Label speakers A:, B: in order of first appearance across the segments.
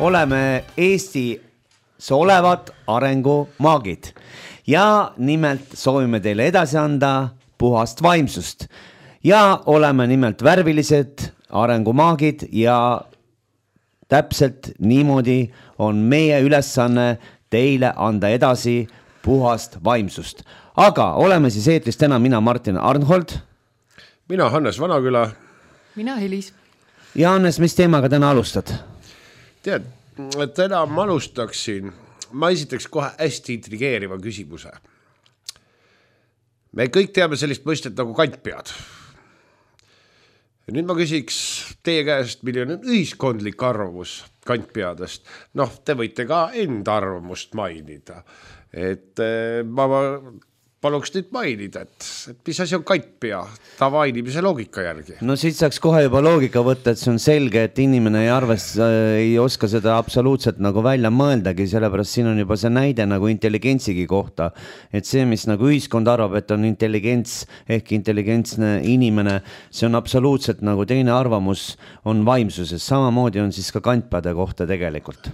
A: Oleme Eestis olevad arengumaagid ja nimelt soovime teile edasi anda puhast vaimsust ja oleme nimelt värvilised arengumaagid ja täpselt niimoodi on meie ülesanne teile anda edasi puhast vaimsust. Aga oleme siis eetris täna mina Martin Arnhold.
B: Mina Hannes Vanaküla.
C: Mina Helis.
A: Ja Hannes, mis teemaga täna alustad?
B: Tead, täna ma alustaksin, ma esitaks kohe hästi intrigeeriva küsimuse. Me kõik teame sellist mõistet nagu kantpead. Ja nüüd ma küsiks teie käest, milline on ühiskondlik arvamus kantpeadest. Te võite ka enda arvamust mainida. Ma paluks nüüd mainida, et mis asi on kantpea tavainimise loogika järgi.
A: No siit saaks kohe juba loogika võtta, et see on selge, et inimene ei oska seda absoluutselt nagu välja mõeldagi, sellepärast siin on juba see näide nagu intelligentsigi kohta, et see, mis nagu ühiskond arvab, et on intelligents ehk intelligentsne inimene, see on absoluutselt nagu teine arvamus on vaimsuses, samamoodi on siis ka kantpeade kohta tegelikult.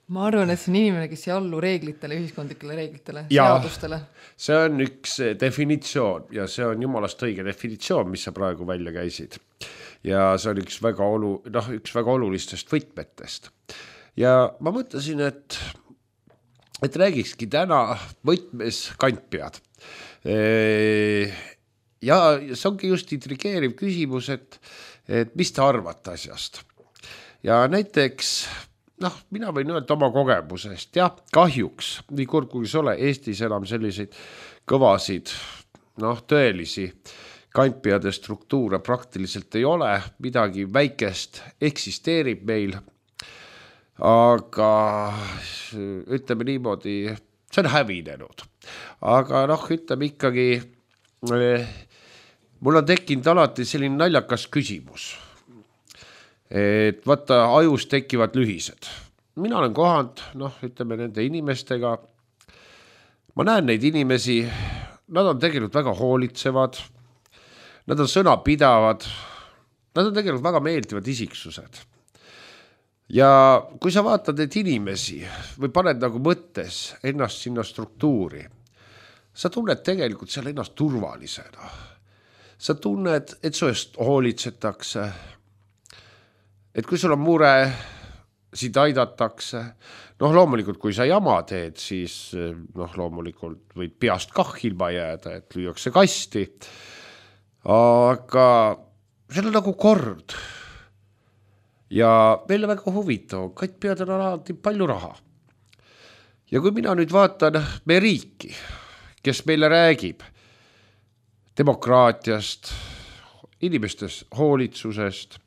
C: Ma arvan, et see on inimene, kes ei allu reeglitele, ühiskondlikele reeglitele, seadustele.
B: See on üks definitsioon ja see on jumalast õige definitsioon, mis sa praegu välja käisid. Ja see on üks väga olulistest võtmetest. Ja ma mõtlesin, et räägikski täna võtmes kantpead. Ja see ongi just intrigeeriv küsimus, et mis te arvate asjast. Ja näiteks mina võin öelda oma kogemusest. Ja kahjuks, nii kurb kui see ole, Eestis enam selliseid kõvasid, tõelisi kantpeade struktuure praktiliselt ei ole. Midagi väikest eksisteerib meil. Aga ütleme niimoodi, see on hävinenud. Aga ütleme ikkagi, mul on tekkinud alati selline naljakas küsimus. Et vaata, ajus tekivad lühised. Mina olen kohanud, ütleme nende inimestega. Ma näen neid inimesi, nad on tegelikult väga hoolitsevad, nad on sõnapidavad, nad on tegelikult väga meeldivad isiksused. Ja kui sa vaatad neid inimesi või paned nagu mõttes ennast sinna struktuuri, sa tunned tegelikult seal ennast turvalisena. Sa tunned, et su eest hoolitsetakse, et kui sul on mure, siit aidatakse. Loomulikult, kui sa jama teed, siis loomulikult võid peast kah ilma jääda, et lüüakse kasti. Aga see on nagu kord. Ja meile väga huvitav, kantpead on alati palju raha. Ja kui mina nüüd vaatan meie riiki, kes meile räägib demokraatiast, inimestes hoolitsusest,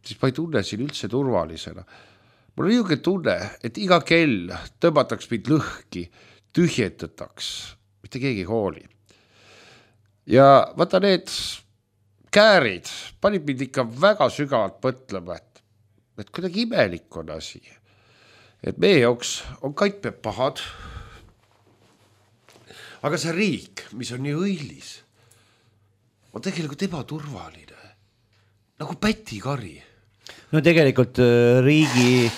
B: siis ma ei tunne siin üldse turvalisena. Mul on niisugune tunne, et iga kell tõmbataks mind lõhki, tühjendataks, mitte keegi hooli. Ja vaata need käärid panid mind ikka väga sügavalt mõtlema, et kuidagi imelik on asi. Et meie jaoks on kantpead pahad, aga see riik, mis on nii õilis, on tegelikult ebaturvaline, nagu pätikari.
A: No tegelikult riigi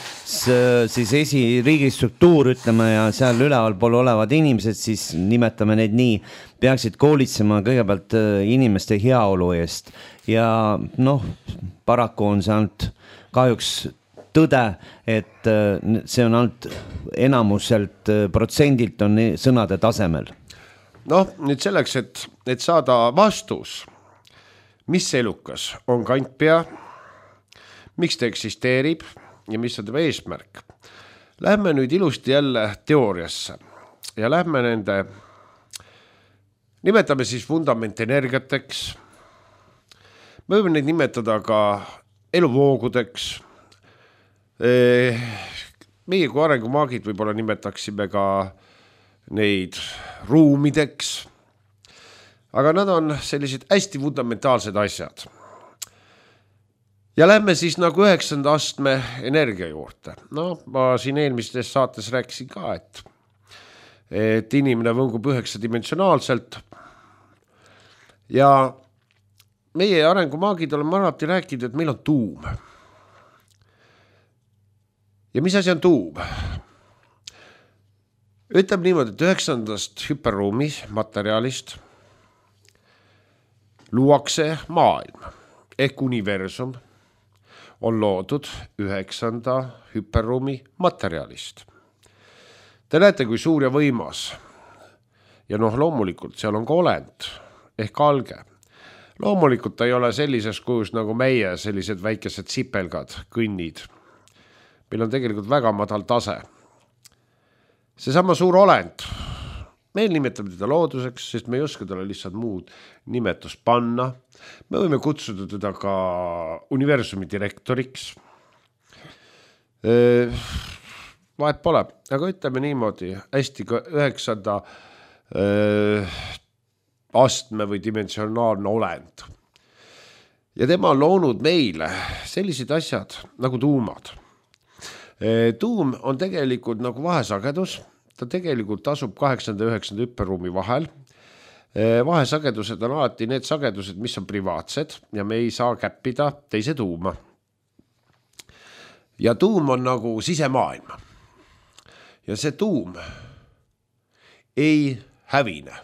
A: struktuur, ütleme, ja seal üleval pool olevad inimesed, siis nimetame neid nii, peaksid koolitsema kõigepealt inimeste heaolu eest. Ja paraku on see ainult kahjuks tõde, et see on ainult enamuselt protsendilt on sõnade tasemel.
B: Nüüd selleks, et saada vastus, mis elukas on kantpea, miks ta eksisteerib ja mis on tema eesmärk. Lähme nüüd ilusti jälle teooriasse ja lähme nende, nimetame siis fundamentenergiateks. Me võime neid nimetada ka eluvoogudeks. Meie kui arengumaagid võib-olla nimetaksime ka neid ruumideks. Aga nad on sellised hästi fundamentaalsed asjad. Ja lähme siis nagu 9. astme energia juurde. Ma siin eelmistes saates rääkisin ka, et inimene võngub 9-dimensionaalselt. Ja meie arengumaagid oleme alati rääkinud, et meil on tuum. Ja mis asi on tuum? Ütleb niimoodi, et 9. hüperruumi materjalist luuakse maailm ehk universum on loodud 9. hüperruumi materjalist. Te näete, kui suur ja võimas. Ja loomulikult seal on ka olend ehk alge. Loomulikult ta ei ole sellises kujus nagu meie, sellised väikesed sipelgad, kõnnid. Meil on tegelikult väga madal tase. Seesama suur olend, meil nimetame teda looduseks, sest me ei oska talle lihtsalt muud nimetust panna. Me võime kutsuda teda ka universumi direktoriks. Vahet pole, aga ütleme niimoodi, hästi 9. astme või dimensionaalne olend. Ja tema on loonud meile sellised asjad nagu tuumad. Tuum on tegelikult nagu vahesagedus, ta tegelikult asub 8. ja 9. hüperruumi vahel. Vahesagedused on alati need sagedused, mis on privaatsed ja me ei saa käppida teise tuuma. Ja tuum on nagu sisemaailm. Ja see tuum ei hävine,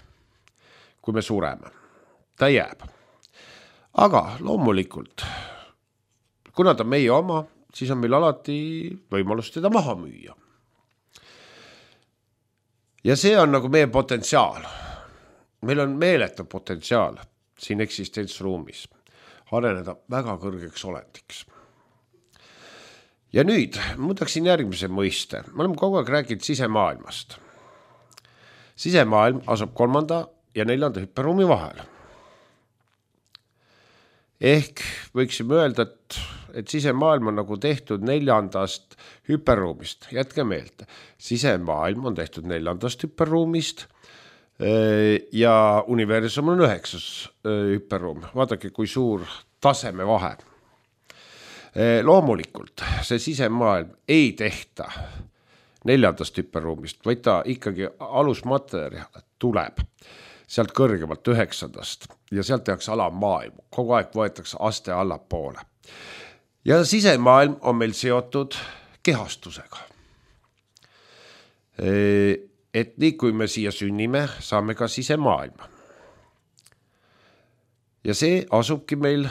B: kui me sureme. Ta jääb. Aga loomulikult, kuna ta meie oma, siis on meil alati võimalus teda maha müüa. Ja see on nagu meie potentsiaal. Meil on meeletu potentsiaal siin eksistentsruumis areneda väga kõrgeks olendiks. Ja nüüd muudaksin järgmise mõiste. Me oleme kogu aeg rääkinud sisemaailmast. Sisemaailm asub 3. ja 4. hüperruumi vahel. Ehk võiksime öelda, et sisemaailm on nagu tehtud 4. hüperruumist. Jätke meelde, sisemaailm on tehtud 4. hüperruumist ja universum on 9. hüperruum. Vaadake, kui suur taseme vahe. Loomulikult see sisemaailm ei tehta 4. hüperruumist, vaid ta ikkagi alusmaterjal tuleb sealt kõrgemalt 9. ja sealt tehakse alamaailm. Kogu aeg võetakse aste allapoole. Ja sisemaailm on meil seotud kehastusega. Et nii kui me siia sünnime, saame ka sisemaailma. Ja see asubki meil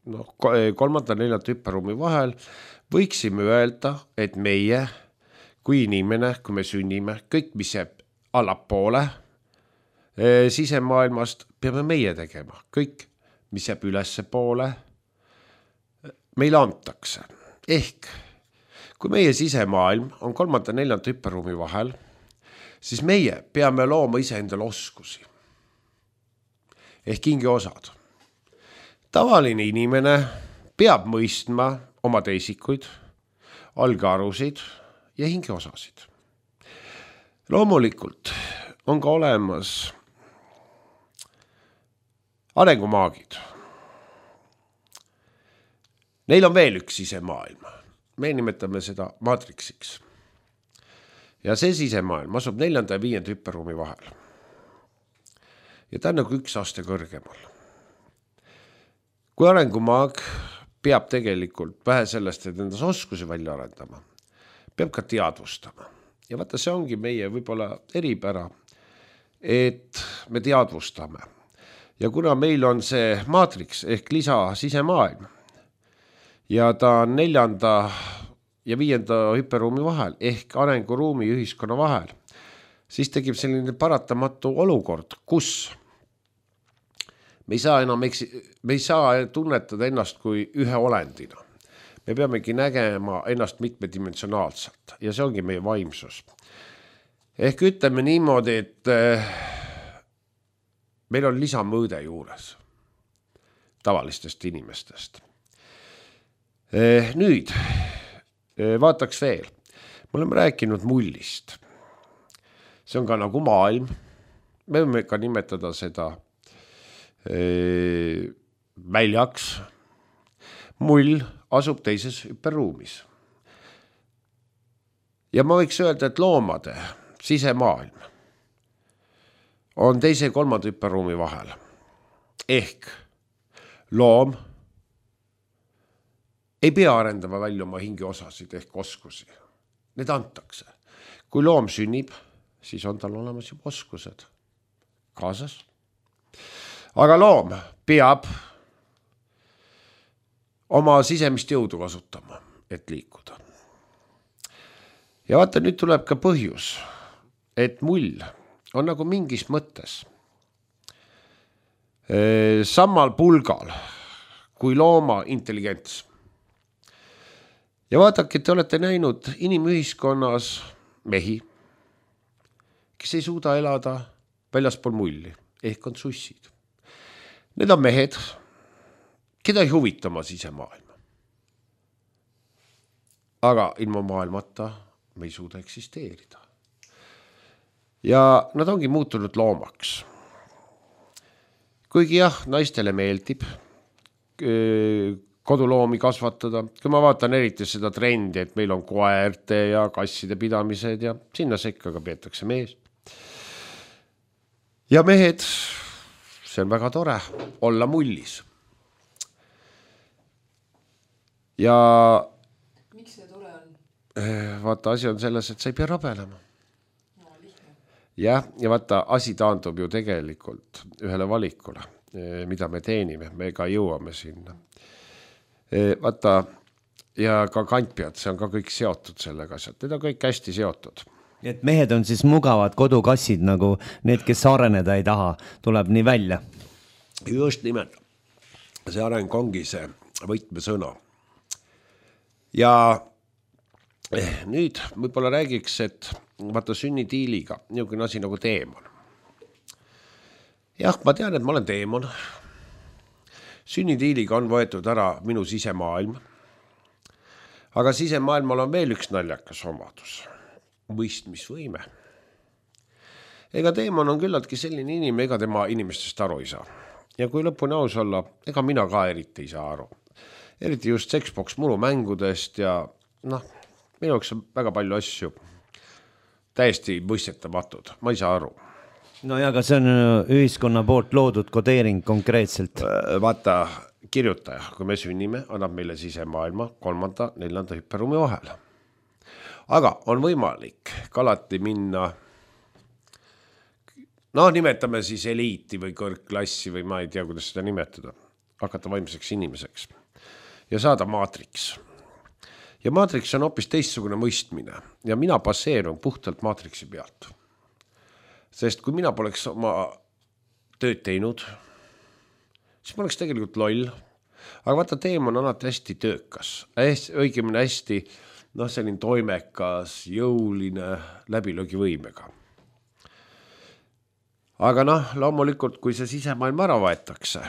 B: 3. ja 4. hüperruumi vahel. Võiksime öelda, et meie kui inimene, kui me sünnime, kõik mis jääb allapoole sisemaailmast, peame meie tegema. Kõik mis jääb ülesse poole, meile antakse. Ehk kui meie sisemaailm on 3. ja 4. hüperruumi vahel, siis meie peame looma ise endale oskusi. Ehk hingeosad. Tavaline inimene peab mõistma oma teisikuid, algarusid ja hingeosasid. Loomulikult on ka olemas arengumaagid. Neil on veel üks sisemaailm. Me nimetame seda maatriksiks. Ja see sisemaailm asub 4. ja 5. hüperruumi vahel. Ja ta on nagu 1 aste kõrgemal. Kui arengumaag peab tegelikult vähe sellest, et endas oskusi välja arendama, peab ka teadvustama. Ja vaata, see ongi meie võib-olla eripära, et me teadvustame. Ja kuna meil on see maatriks ehk lisa sisemaailm ja ta on 4. ja 5. hüperruumi vahel ehk arenguruumi ühiskonna vahel, siis tekib selline paratamatu olukord, kus me ei saa tunnetada ennast kui ühe olendina. Me peamegi nägema ennast mitmedimensionaalselt ja see ongi meie vaimsus. Ehk ütleme niimoodi, et meil on lisamõõde juures tavalistest inimestest. Nüüd vaataks veel. Me oleme rääkinud mullist. See on ka nagu maailm. Me võime ka nimetada seda väljaks. Mull asub teises hüperruumis. Ja ma võiks öelda, et loomade sisemaailm on 2. ja 3. hüperruumi vahel. Ehk loom ei pea arendama välja oma hingeosasid ehk oskusi. need antakse. Kui loom sünnib, siis on tal olemas juba oskused kaasas. Aga loom peab oma sisemist jõudu kasutama, et liikuda. Ja vaata, nüüd tuleb ka põhjus, et mull on nagu mingis mõttes samal pulgal kui looma intelligents. Ja vaadake, te olete näinud inimühiskonnas mehi, kes ei suuda elada väljaspool mulli, ehk on sussid. Need on mehed, keda ei huvita oma sisemaailma. Aga ilma maailmata me ei suuda eksisteerida. Ja nad ongi muutunud loomaks. Kuigi jah, naistele meeldib koduloomi kasvatada. Kui ma vaatan eriti seda trendi, et meil on koerte ja kasside pidamised ja sinna sekka ka peetakse mees. Ja mehed, see on väga tore, olla mullis. Ja
C: miks see tore on?
B: Vaata, asi on selles, et sa ei pea rabelema. Ja vaata, asi taandub ju tegelikult ühele valikule, mida me teenime, me ka jõuame sinna. Vaata, ja ka kantpead, see on ka kõik seotud sellega, need on kõik hästi seotud.
A: Et mehed on siis mugavad kodukassid, nagu need, kes areneda ei taha, tuleb nii välja.
B: Just nimelt. See areng ongi see võtmesõna. Ja nüüd võib-olla räägiks, et vaata sünnitiiliga, niisugune asi nagu teemon. Jah, ma tean, et ma olen teemon. Sünnitiiliga on võetud ära minu sisemaailm. Aga sisemaailmal on veel üks naljakas omadus. Mõistmisvõime. Ega teemon on küllaltki selline inimene, ega tema inimestest aru ei saa. Ja kui lõpuni aus olla, ega mina ka eriti ei saa aru. Eriti just Sexbox murumängudest ja minu jaoks on väga palju asju täiesti mõistetamatud. Ma ei saa aru.
A: No ja, aga see on ühiskonna poolt loodud kodeering konkreetselt.
B: Vaata, kirjutaja, kui me sünnime, annab meile sisemaailma 3., 4. hüpperuumi vahel. Aga on võimalik alati minna, nimetame siis eliiti või kõrgklassi või ma ei tea, kuidas seda nimetada, hakata vaimseks inimeseks ja saada maatriks. Ja maatriks on hoopis teistsugune mõistmine ja mina baseerun puhtalt maatriksi pealt. Sest kui mina poleks oma tööd teinud, siis ma oleks tegelikult loll. Aga vaata, teem on alati hästi töökas, õigemini hästi selline toimekas, jõuline, läbilöögivõimega. Aga loomulikult, kui see sisemaailm ära võetakse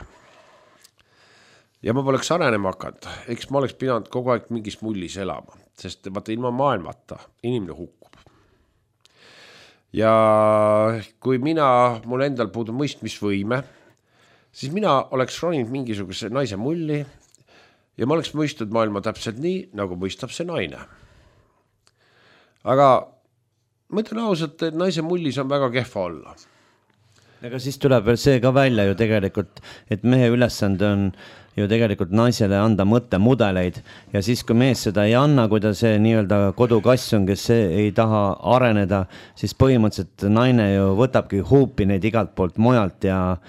B: ja ma poleks arenema hakanud, eks ma oleks pidanud kogu aeg mingis mullis elama, sest vaata, ilma maailmata inimene hukkub. Ja kui mul endal puudub mõistmisvõime, siis mina oleks roninud mingisuguse naise mulli ja ma oleks mõistnud maailma täpselt nii, nagu mõistab see naine. Aga ma ütlen ausalt, et naise mullis on väga kehva olla.
A: Aga siis tuleb veel see ka välja ju tegelikult, et mehe ülesande on ju tegelikult naisele anda mõttemudeleid ja siis, kui mees seda ei anna, kui ta see nii-öelda kodukass on, kes ei taha areneda, siis põhimõtteliselt naine ju võtabki huupi neid igalt poolt mujalt ja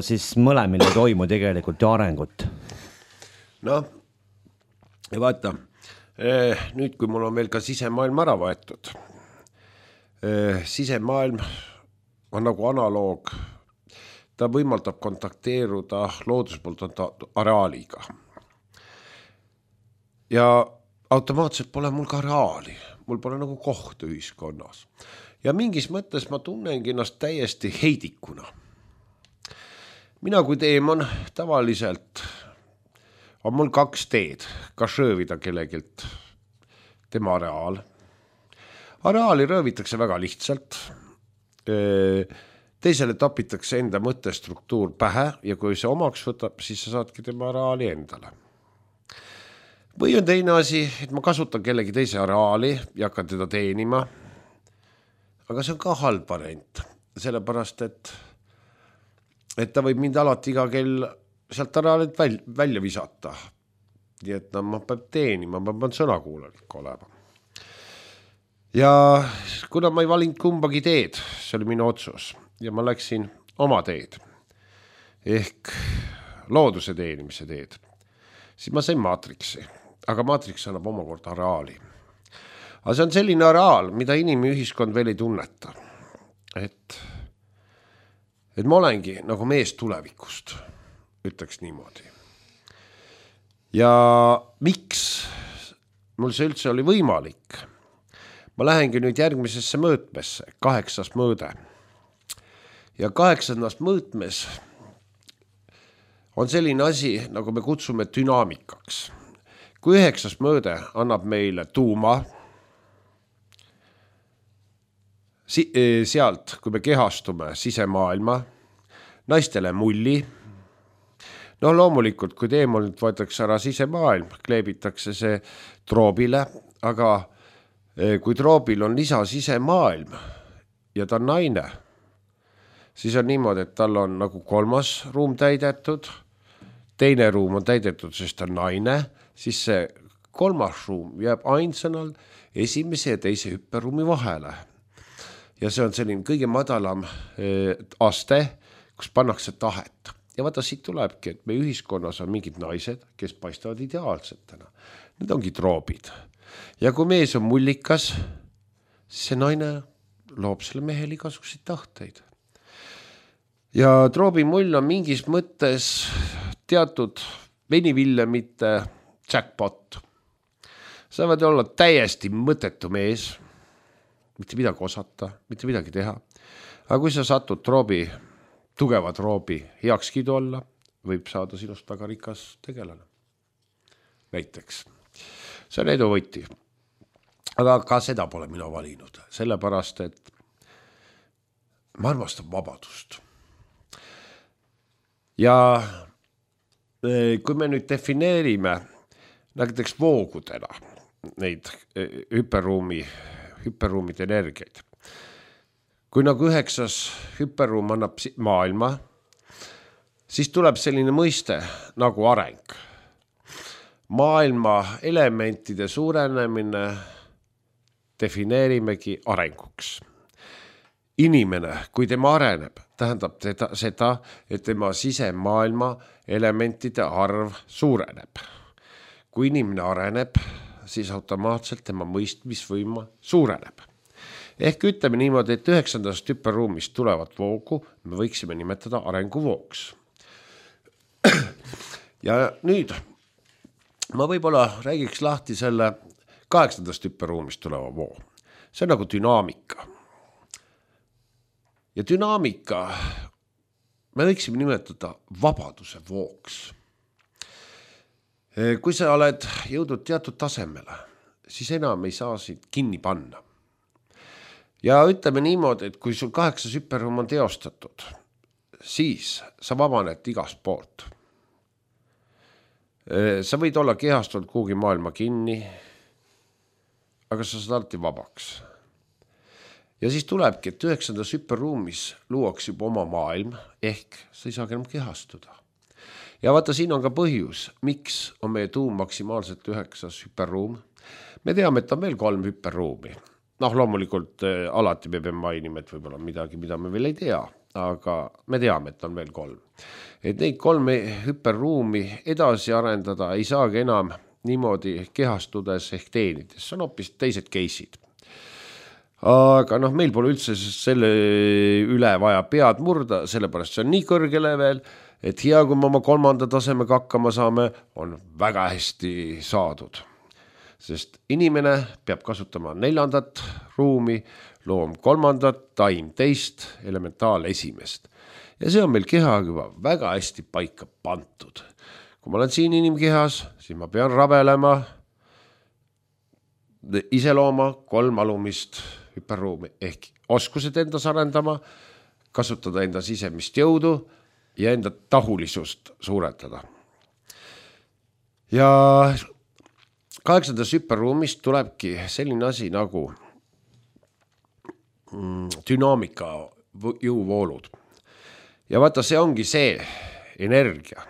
A: siis mõlemil ei toimu tegelikult ju arengut.
B: Ja vaata, nüüd kui mul on veel ka sisemaailm ära võetud, sisemaailm on nagu analoog, ta võimaldab kontakteeruda looduspoolt areaaliga. Ja automaatselt pole mul ka areaali, mul pole nagu koht ühiskonnas. Ja mingis mõttes ma tunnengi ennast täiesti heidikuna. Mina kui teemon tavaliselt on mul 2 teed, kas röövida kellegilt tema areaal. Areaali röövitakse väga lihtsalt. Teisele tapitakse enda mõttestruktuur pähe ja kui see omaks võtab, siis sa saadki tema areaali endale. Või on teine asi, et ma kasutan kellegi teise areaali ja hakkan teda teenima. Aga see on ka halb variant, sellepärast, et ta võib mind alati iga kell sealt areaalilt välja visata. Nii et ma peab teenima, ma pean sõnakuulelik olema. ja kuna ma ei valinud kumbagi teed, see oli minu otsus ja ma läksin oma teed ehk looduse teenimise teed, siis ma sain maatriksi, aga maatriks annab omakorda areaali. Aga see on selline areaal, mida inimühiskond veel ei tunneta, et ma olengi nagu mees tulevikust, ütleks niimoodi. Ja miks mul see üldse oli võimalik? Ma lähengi nüüd järgmisesse mõõtmesse, 8. mõõde. Ja 8. mõõtmes on selline asi, nagu me kutsume dünaamikaks. Kui 9. mõõde annab meile tuuma, sealt, kui me kehastume sisemaailma, naistele mulli, loomulikult, kui teemonilt võetakse ära sisemaailm, kleebitakse see troobile, aga kui troobil on lisa sisemaailm ja ta on naine, siis on niimoodi, et tal on nagu 3. ruum täidetud, teine ruum on täidetud, sest ta on naine, siis see 3. ruum jääb ainsanal esimese ja teise hüpperuumi vahele. Ja see on selline kõige madalam aste, kus pannakse tahet. Ja vaata, siit tulebki, et meie ühiskonnas on mingid naised, kes paistavad ideaalsetena. Need ongi troobid. Ja kui mees on mullikas, siis see naine loob selle mehel igasuguseid tahteid. Ja troobi mull on mingis mõttes teatud veniville, jackpot. Sa võid olla täiesti mõttetu mees, mitte midagi osata, mitte midagi teha. Aga kui sa satud tugeva troobi heakskiidu olla, võib saada sinust väga rikas tegelane. Näiteks. See on edu võti. Aga ka seda pole mina valinud. Sellepärast, et ma armastan vabadust. Ja kui me nüüd defineerime näiteks voogudena neid hüperruumide energiaid. Kui nagu 9. hüperruum annab maailma, siis tuleb selline mõiste nagu areng. Maailma elementide suurenemine defineerimegi arenguks. Inimene, kui tema areneb, tähendab seda, et tema sisemaailma elementide arv suureneb. Kui inimene areneb, siis automaatselt tema mõistmisvõima suureneb. Ehk ütleme niimoodi, et 9. hüperruumist tulevat voogu me võiksime nimetada arenguvooks. Ja nüüd ma võib-olla räägiks lahti selle 8. hüperruumist tuleva voo. See on nagu dünaamika. Ja dünaamika me võiksime nimetada vabaduse vooks. Kui sa oled jõudnud teatud tasemele, siis enam ei saa sind kinni panna. Ja ütleme niimoodi, et kui sul 8. hüperruum on teostatud, siis sa vabaned igast poolt. Sa võid olla kehastunud kuhugi maailma kinni, aga sa saad alati vabaks. Ja siis tulebki, et 9. hüperruumis luuakse juba oma maailm, ehk sa ei saa enam kehastuda. Ja vaata, siin on ka põhjus, miks on meie tuum maksimaalselt 9. hüperruum. Me teame, et on veel 3 hüperruumi. Loomulikult alati me peame mainima, et võib-olla midagi, mida me veel ei tea, aga me teame, et on veel 3. Et neid 3 hüperruumi edasi arendada ei saagi enam niimoodi kehastudes ehk teenides. See on hoopis teised case'id. Aga meil pole üldse selle üle vaja pead murda, sellepärast see on nii kõrge level, et hea, kui me oma 3. tasemega hakkama saame, on väga hästi saadud. Sest inimene peab kasutama 4. ruumi, loom 3., taim 2., elementaal 1. Ja see on meil keha juba väga hästi paika pantud. Kui ma olen siin inimkehas, siis ma pean rabelema, iselooma 3 alumist hüperruumi ehk oskused endas arendama, kasutada enda sisemist jõudu ja enda tahulisust suuretada. Ja 8. hüperruumist tulebki selline asi nagu dünaamika jõuvoolud. Ja vaata, see ongi see energia.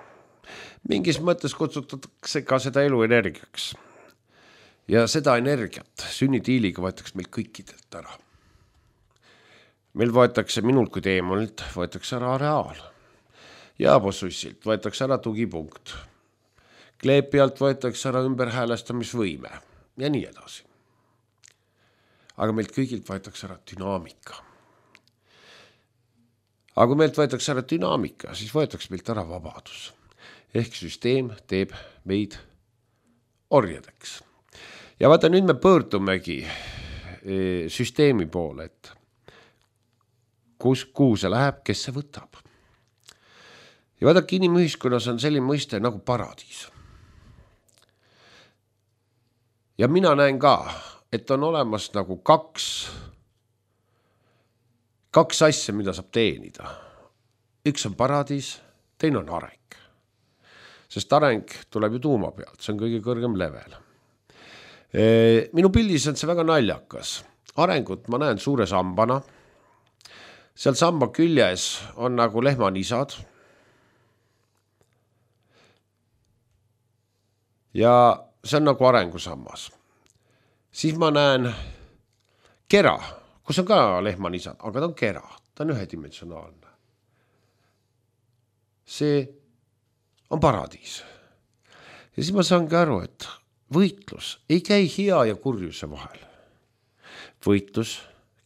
B: Mingis mõttes kutsutakse ka seda elu energiaks. Ja seda energiat sünnitiiliga võetakse meil kõikidelt ära. Meil võetakse minult kui teemonilt, võetakse ära areaal. Jaabosussilt võetakse ära tugipunkt. Kleepialt võetakse ära ümberhäälestamisvõime ja nii edasi. Aga meilt kõigilt võetakse ära dünaamika. Aga kui meilt võetakse ära dünaamika, siis võetakse meilt ära vabadus. Ehk süsteem teeb meid orjadeks. Ja vaata, nüüd me pöördumegi süsteemi poole, et kuhu see läheb, kes see võtab. Ja vaadake, inimühiskonnas on selline mõiste nagu paradiis. Ja mina näen ka, et on olemas nagu kaks asja, mida saab teenida. Üks on paradiis, teine on areng. Sest areng tuleb ju tuuma pealt, see on kõige kõrgem level. Minu pildis on see väga naljakas. Arengut ma näen suure sambana. Seal samba küljes on nagu lehmanisad. Ja see on nagu arengusammas. Siis ma näen kera, kus on ka lehmanisad, aga ta on kera, ta on ühedimensionaalne. See on paradiis. Ja siis ma saangi aru, et võitlus ei käi hea ja kurjuse vahel. Võitlus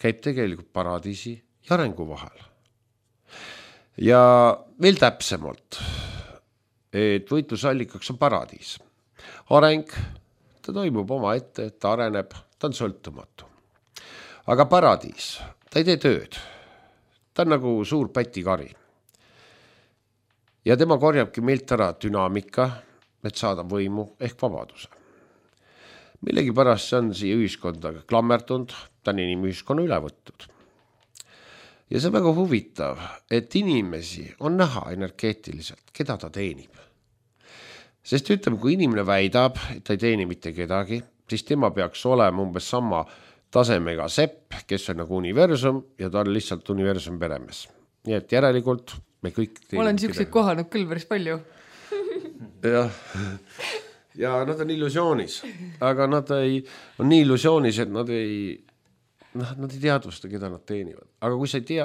B: käib tegelikult paradiisi ja arengu vahel. Ja veel täpsemalt, et võitlusallikaks on paradiis. Areng, ta toimub oma ette, ta areneb, ta on sõltumatu. Aga paradiis, ta ei tee tööd. Ta on nagu suur pätikari. Ja tema korjabki meilt ära dünaamika, et saada võimu ehk vabaduse. Millegi pärast see on siia ühiskonda klammertunud, ta on inimühiskonna üle võttud. Ja see on väga huvitav, et inimesi on näha energeetiliselt, keda ta teenib. Sest ütleme, kui inimene väidab, et ta ei teeni mitte kedagi, siis tema peaks olema umbes sama tasemega sepp, kes on nagu universum ja ta on lihtsalt universum peremees. Nii et järelikult me kõik teenib.
C: Olen siukseid kohanud küll päris palju.
B: Ja nad on illusioonis, aga nad on nii illusioonis, et nad ei teadvusta, keda nad teenivad. Aga kui sa ei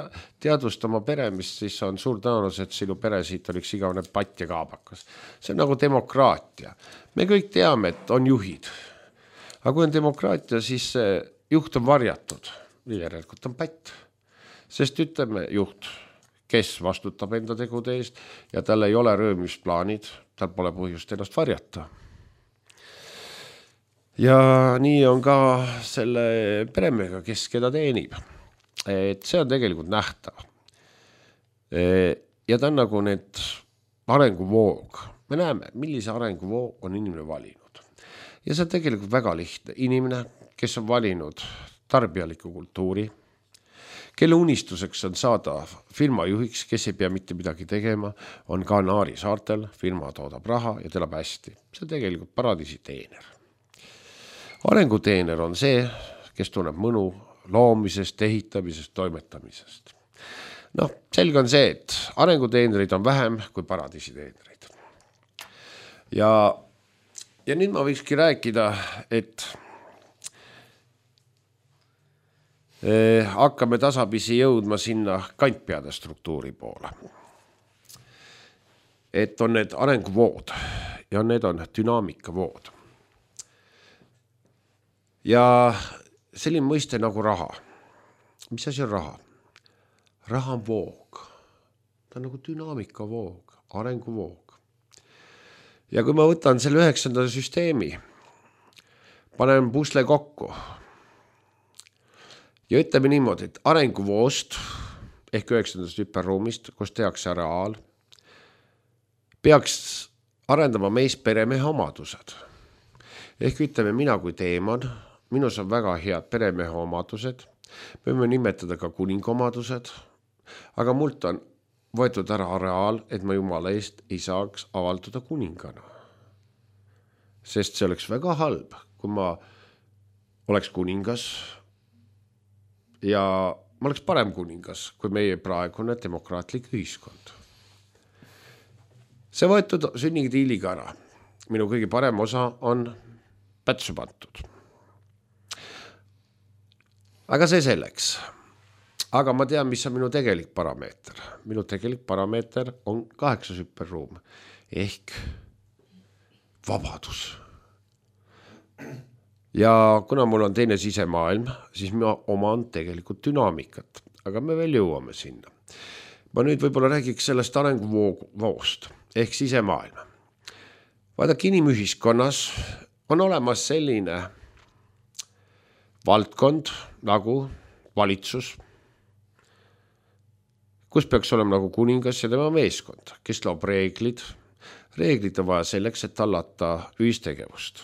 B: teadvusta oma peremist, siis on suur tõenäosus, et sinu pere siit on üks igavene patt ja kaabakas. See on nagu demokraatia. Me kõik teame, et on juhid. Aga kui on demokraatia, siis see juht on varjatud. Järelikult on pätt. Sest ütleme juht, kes vastutab enda tegude eest ja tal ei ole röömisplaanid, tal pole põhjust ennast varjata. Ja nii on ka selle peremega, kes keda teenib. Et see on tegelikult nähtav. Ja ta on nagu need arenguvoog. Me näeme, millise arenguvoog on inimene valinud. Ja see on tegelikult väga lihtne. Inimene, kes on valinud tarbijaliku kultuuri, kelle unistuseks on saada firma juhiks, kes ei pea mitte midagi tegema, on Kanaari saartel, firma toodab raha ja telab hästi. See on tegelikult paradiisi teener. Arenguteener on see, kes tunneb mõnu loomisest, ehitamisest, toimetamisest. Selge on see, et arenguteenerid on vähem kui paradiisi teenerid. Ja nüüd ma võikski rääkida, et hakkame tasapisi jõudma sinna kantpeade struktuuri poole. Et on need arenguvood ja need on dünaamikavood. Ja selline mõiste nagu raha. Mis asi on raha? Raha on voog. Ta on nagu dünaamikavoog, arenguvoog. Ja kui ma võtan selle 9. süsteemi, panen pusle kokku ja ütleme niimoodi, et arenguvoost ehk 9. hüperruumist, kus tehakse areaal, peaks arendama meis peremehe omadused. Ehk ütleme mina kui teeman, minus on väga head peremehe omadused, me võime nimetada ka kuningomadused, aga mult on võetud ära areaal, et ma Jumala eest ei saaks avalduda kuningana. Sest see oleks väga halb, kui ma oleks kuningas ja ma oleks parem kuningas kui meie praegune demokraatlik ühiskond. See võetud sünnitiiliga ära. Minu kõige parem osa on pätsu pantud. Aga see selleks. Aga ma tean, mis on minu tegelik parameeter. Minu tegelik parameeter on 8 hüperruum ehk vabadus. Ja kuna mul on teine sisemaailm, siis ma oman tegelikult dünaamikat, aga me veel jõuame sinna. Ma nüüd võib-olla räägiks sellest arenguvoost ehk sisemaailma. Vaadake, inimühiskonnas on olemas selline valdkond nagu valitsus, kus peaks olema nagu kuningas ja tema meeskond, kes loob reeglid. Reeglid on vaja selleks, et tallata ühistegevust.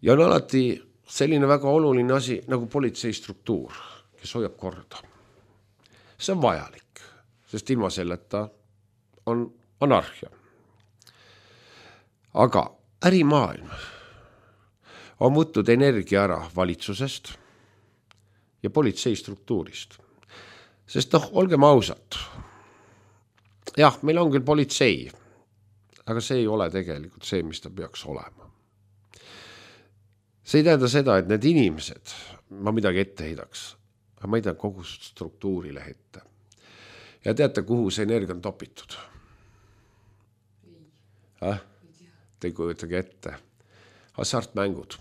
B: Ja on alati selline väga oluline asi nagu politseistruktuur, kes hoiab korda. See on vajalik, sest ilma selleta on anarhia. Aga ärimaailm on võtnud energia ära valitsusest ja politseistruktuurist. Sest olgem ausad. Jah, meil on küll politsei, aga see ei ole tegelikult see, mis ta peaks olema. See ei tähenda seda, et need inimesed, ma midagi ette heidaks, aga ma ei tea kogu struktuurile ette. Ja teate, kuhu see energia on topitud? Te ei kujutage ette. Hasartmängud.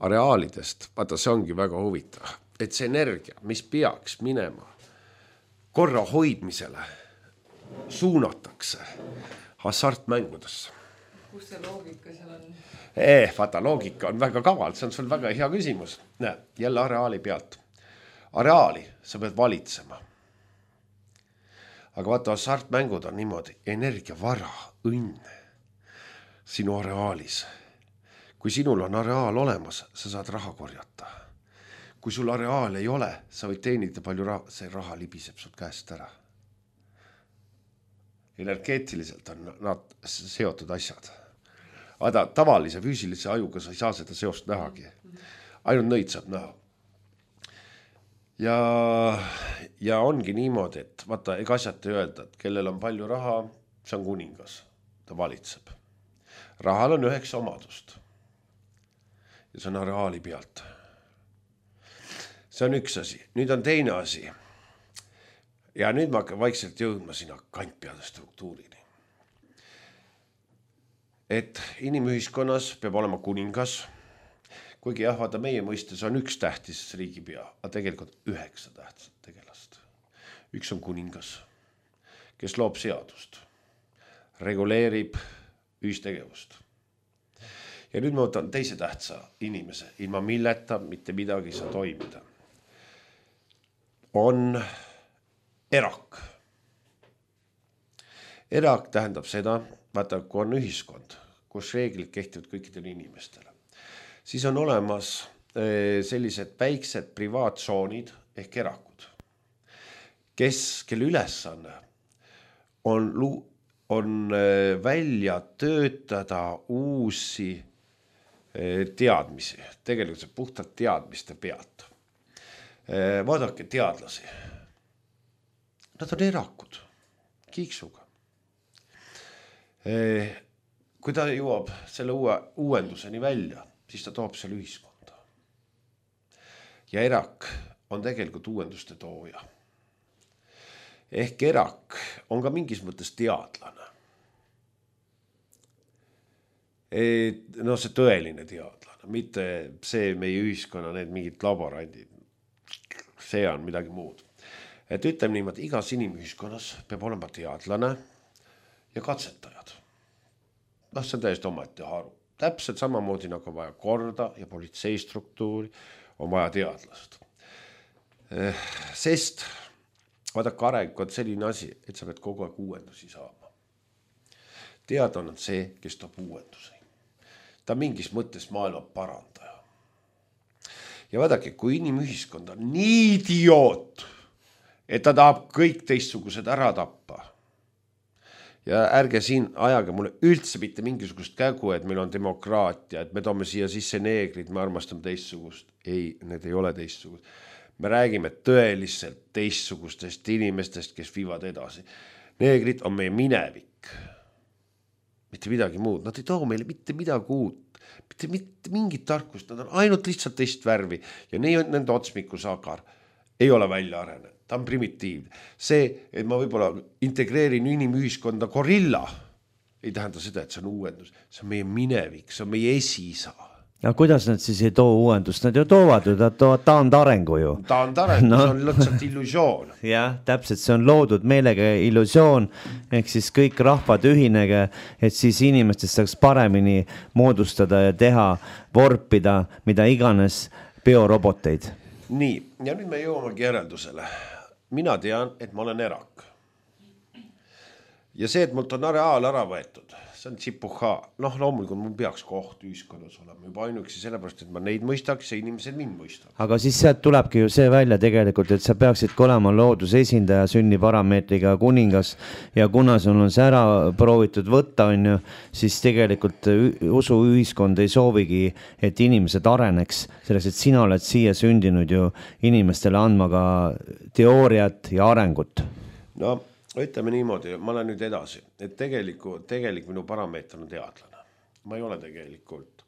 B: Areaalidest, vaata, see ongi väga huvitav, et see energia, mis peaks minema korra hoidmisele, suunatakse hasartmängudesse.
C: Kus see loogika seal on?
B: Vaata, loogika on väga kaval, see on sul väga hea küsimus. Näe, jälle areaali pealt. Areaali sa pead valitsema. Aga vaata, hasartmängud on niimoodi energiavara, õnne sinu areaalis. Kui sinul on areaal olemas, sa saad raha korjata. Kui sul areaal ei ole, sa võid teenida palju raha, see raha libiseb sult käest ära. Energeetiliselt on nad seotud asjad. Aga tavalise füüsilise ajuga sa ei saa seda seost nähagi. Ainult nõid saab näha. Ja ongi niimoodi, et vaata, ega asjad ei öelda, et kellel on palju raha, see on kuningas, ta valitseb. Rahal on 9 omadust ja see on areaali pealt. See on üks asi. Nüüd on teine asi. Ja nüüd ma hakkan vaikselt jõudma sinna kantpeade struktuurini. Et inimühiskonnas peab olema kuningas, kuigi jah, vaata meie mõistes on üks tähtis riigipea, aga tegelikult 9 tähtsat tegelast. Üks on kuningas, kes loob seadust, reguleerib ühistegevust. Ja nüüd ma võtan teise tähtsa inimese, ilma milleta mitte midagi saa toimida. On erak. Erak tähendab seda, vaata, kui on ühiskond, kus reeglid kehtivad kõikidele inimestele, siis on olemas sellised väiksed privaattsoonid ehk erakud, kelle ülesanne on välja töötada uusi teadmisi, tegelikult see puhtalt teadmiste pealt. Vaadake teadlasi. Nad on erakud, kiiksuga. Kui ta jõuab selle uuenduseni välja, siis ta toob selle ühiskonda. Ja erak on tegelikult uuenduste tooja. Ehk erak on ka mingis mõttes teadlane. No see tõeline teadlane, mitte see meie ühiskonna, need mingid laborandid. See on midagi muud. Et ütleme niimoodi, igas inimühiskonnas peab olema teadlane ja katsetajad. See on täiesti omaette haru. Täpselt samamoodi nagu on vaja korda ja politseistruktuuri, on vaja teadlast. Sest vaadake, areng on selline asi, et sa pead kogu aeg uuendusi saama. Teadlane on see, kes toob uuendusi. Ta mingis mõttes maailma parandaja. Ja vaadake, kui inimühiskond on nii idioot, et ta tahab kõik teistsugused ära tappa. Ja ärge siin ajage mulle üldse mitte mingisugust kägu, et meil on demokraatia, et me toome siia sisse neegrid, me armastame teistsugust. Ei, need ei ole teistsugust. Me räägime tõeliselt teistsugustest inimestest, kes viivad edasi. Neegrid on meie minevik. mitte midagi muud, nad ei too meile mitte midagi uut, mitte mingit tarkust, nad on ainult lihtsalt teist värvi ja nende otsmikusagar ei ole välja arenenud, ta on primitiivne. See, et ma võib-olla integreerin inimühiskonda gorilla, ei tähenda seda, et see on uuendus, see on meie minevik, see on meie esiisa.
A: Ja kuidas nad siis ei too uuendust, nad ju toovad ju, nad toovad taandarengu ju.
B: Taandarengu, no. See on lõtsalt illusioon.
A: Jah, täpselt, see on loodud meelega illusioon, ehk siis kõik rahvad ühinege, et siis inimestest saaks paremini moodustada ja teha, vorpida, mida iganes bioroboteid.
B: Nii, ja nüüd me jõuamegi järeldusele. Mina tean, et ma olen erak. Ja see, et mult on areaal ära võetud, see on tsipuha. Noh, loomulikult mul peaks koht ühiskonnas olema juba ainuksi sellepärast, et ma neid mõistaks ja inimesed mind mõistaks.
A: Aga siis sealt tulebki ju see välja tegelikult, et sa peaksid olema looduse esindaja, sünniparameetriga kuningas ja kuna sul on see ära proovitud võtta, on ju, siis tegelikult usuühiskond ei soovigi, et inimesed areneks, selleks, et sina oled siia sündinud ju inimestele andma ka teooriat ja arengut.
B: No, ütleme niimoodi, ma olen nüüd edasi, et tegelikult minu parameeter on teadlane. Ma ei ole tegelikult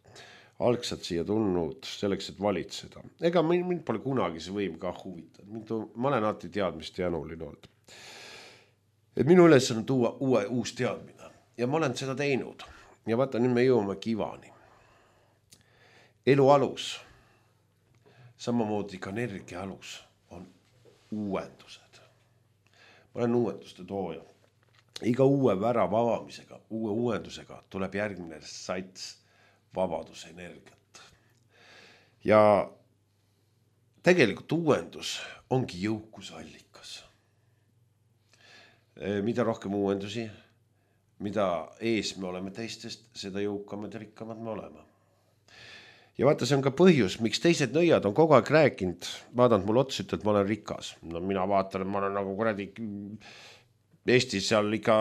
B: algselt siia tulnud selleks, et valitseda. Ega mind pole kunagi see võim ka huvitanud. Ma olen alati teadmist jänuline olnud. Et minu üles on tuua uus teadmine ja ma olen seda teinud. Ja vaata, nüüd me jõuame kivani. Elu alus, samamoodi ka energia alus on uuendused. Ma olen uuenduste tooja. Iga uue värava avamisega, uue uuendusega tuleb järgmine sats vabaduse energiat. Ja tegelikult uuendus ongi jõukusallikas. Mida rohkem uuendusi, mida ees me oleme teistest, seda jõukamad ja rikkamad me oleme. Ja vaata, see on ka põhjus, miks teised nõiad on kogu aeg rääkinud, vaadanud mul otsa, et ma olen rikas. No mina vaatan, et ma olen nagu kuradi Eestis seal ikka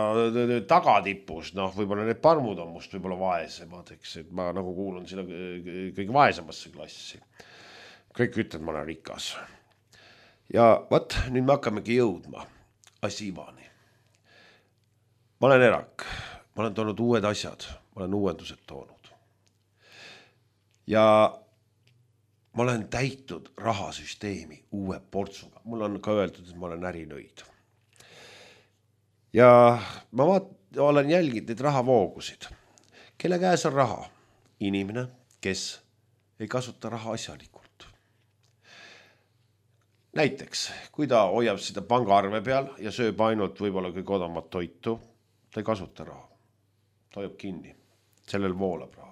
B: tagatipus, noh, võib-olla need parmud on must võib-olla vaesemad, eks, et ma nagu kuulun sinna kõige vaesemasse klassi. Kõik ütlevad, ma olen rikas. Ja vaat, nüüd me hakkamegi jõudma asivani. Ma olen erak, ma olen toonud uued asjad, ma olen uuendused toonud. Ja ma olen täitud rahasüsteemi uue portsuga. Mul on ka öeldud, et ma olen ärinõid. Ja ma olen jälginud neid rahavoogusid. Kelle käes on raha? Inimene, kes ei kasuta raha asjalikult. Näiteks, kui ta hoiab seda pangaarve peal ja sööb ainult võib-olla kõige odamat toitu, ta ei kasuta raha. Ta hoiab kinni. Sellel voolab raha.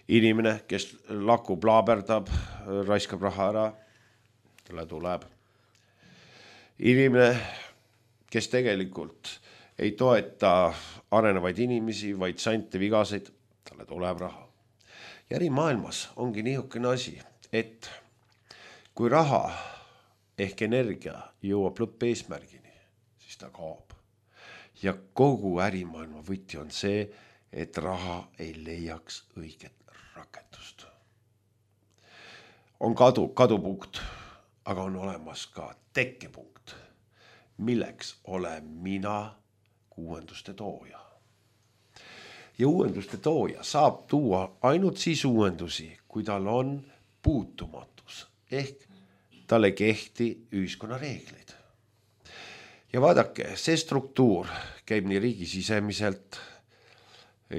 B: Inimene, kes lakub, laaberdab, raiskab raha ära, talle tuleb. Inimene, kes tegelikult ei toeta arenevaid inimesi, vaid sante vigaseid, talle tuleb raha. Ja ärimaailmas ongi niisugune asi, et kui raha ehk energia jõuab lõppeesmärgini, siis ta kaob. Ja kogu ärimaailma võti on see, et raha ei leiaks õiget rakendust. On kadupunkt, aga on olemas ka tekkepunkt, milleks olen mina uuenduste tooja. Ja uuenduste tooja saab tuua ainult siis uuendusi, kui tal on puutumatus, ehk talle kehti ühiskonna reeglid. Ja vaadake, see struktuur käib nii riigi sisemiselt,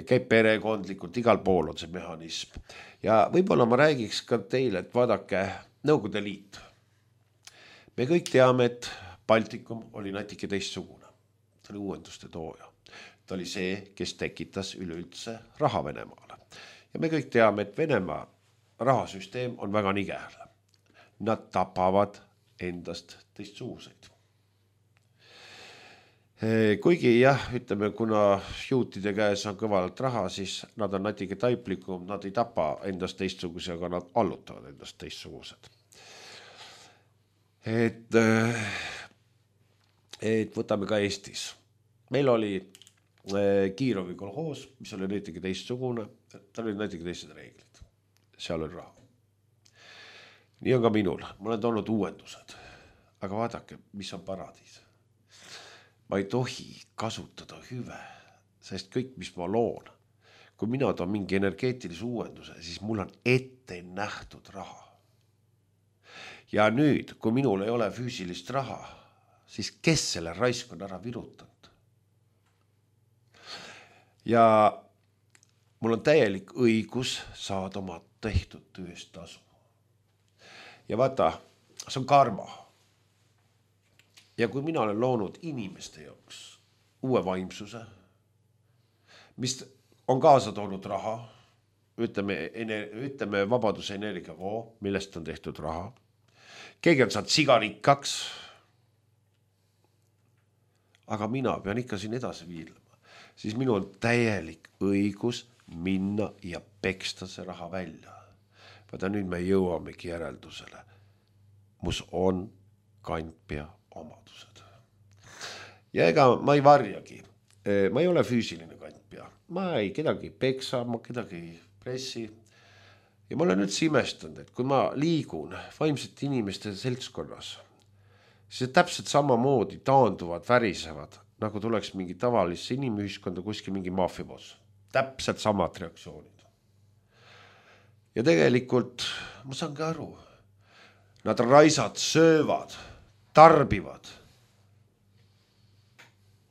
B: käib perekondlikult, igal pool on see mehhanism. Ja võib-olla ma räägiks ka teile, et vaadake Nõukogude Liit. Me kõik teame, et Baltikum oli natuke teistsugune. Ta oli uuenduste tooja. Ta oli see, kes tekitas üleüldse raha Venemaale. Ja me kõik teame, et Venemaa rahasüsteem on väga nigel. Nad tapavad endast teistsuguseid. Kuigi jah, ütleme, kuna juutide käes on kõvalalt raha, siis nad on natuke taiplikum, nad ei tapa endast teistsuguse, aga nad allutavad endast teistsugused. Et võtame ka Eestis. Meil oli Kiirovi kolhoos, mis oli natuke teistsugune, tal oli natuke teised reeglid. Seal oli raha. Nii on ka minul, ma olen toonud uuendused, aga vaadake, mis on paradiis. Ma ei tohi kasutada hüve sest kõik, mis ma loon, kui mina toon mingi energeetilise uuenduse, siis mul on ette nähtud raha. Ja nüüd, kui minul ei ole füüsilist raha, siis kes selle raisk on ära virutanud? Ja mul on täielik õigus saada oma tehtud tööst tasu. Ja vaata, see on karma. Ja kui mina olen loonud inimeste jaoks uue vaimsuse, mis on kaasa toonud raha, ütleme vabaduse energiavoo, millest on tehtud raha, keegi on saanud sigarikkaks, aga mina pean ikka siin edasi viilema, siis minul on täielik õigus minna ja peksta see raha välja. Vaata nüüd me jõuamegi järeldusele. Mus on kantpea omadused. Ja ega ma ei varjagi. Ma ei ole füüsiline kantpea. Ma ei kedagi peksa, ma kedagi pressi. Ja ma olen üldse imestanud, et kui ma liigun vaimsete inimeste seltskonnas, siis täpselt samamoodi taanduvad, värisevad, nagu tuleks mingi tavalisse inimühiskonda kuskil mingi maafiaboss. Täpselt samad reaktsioonid. Ja tegelikult ma saangi aru, nad raisad söövad, tarbivad.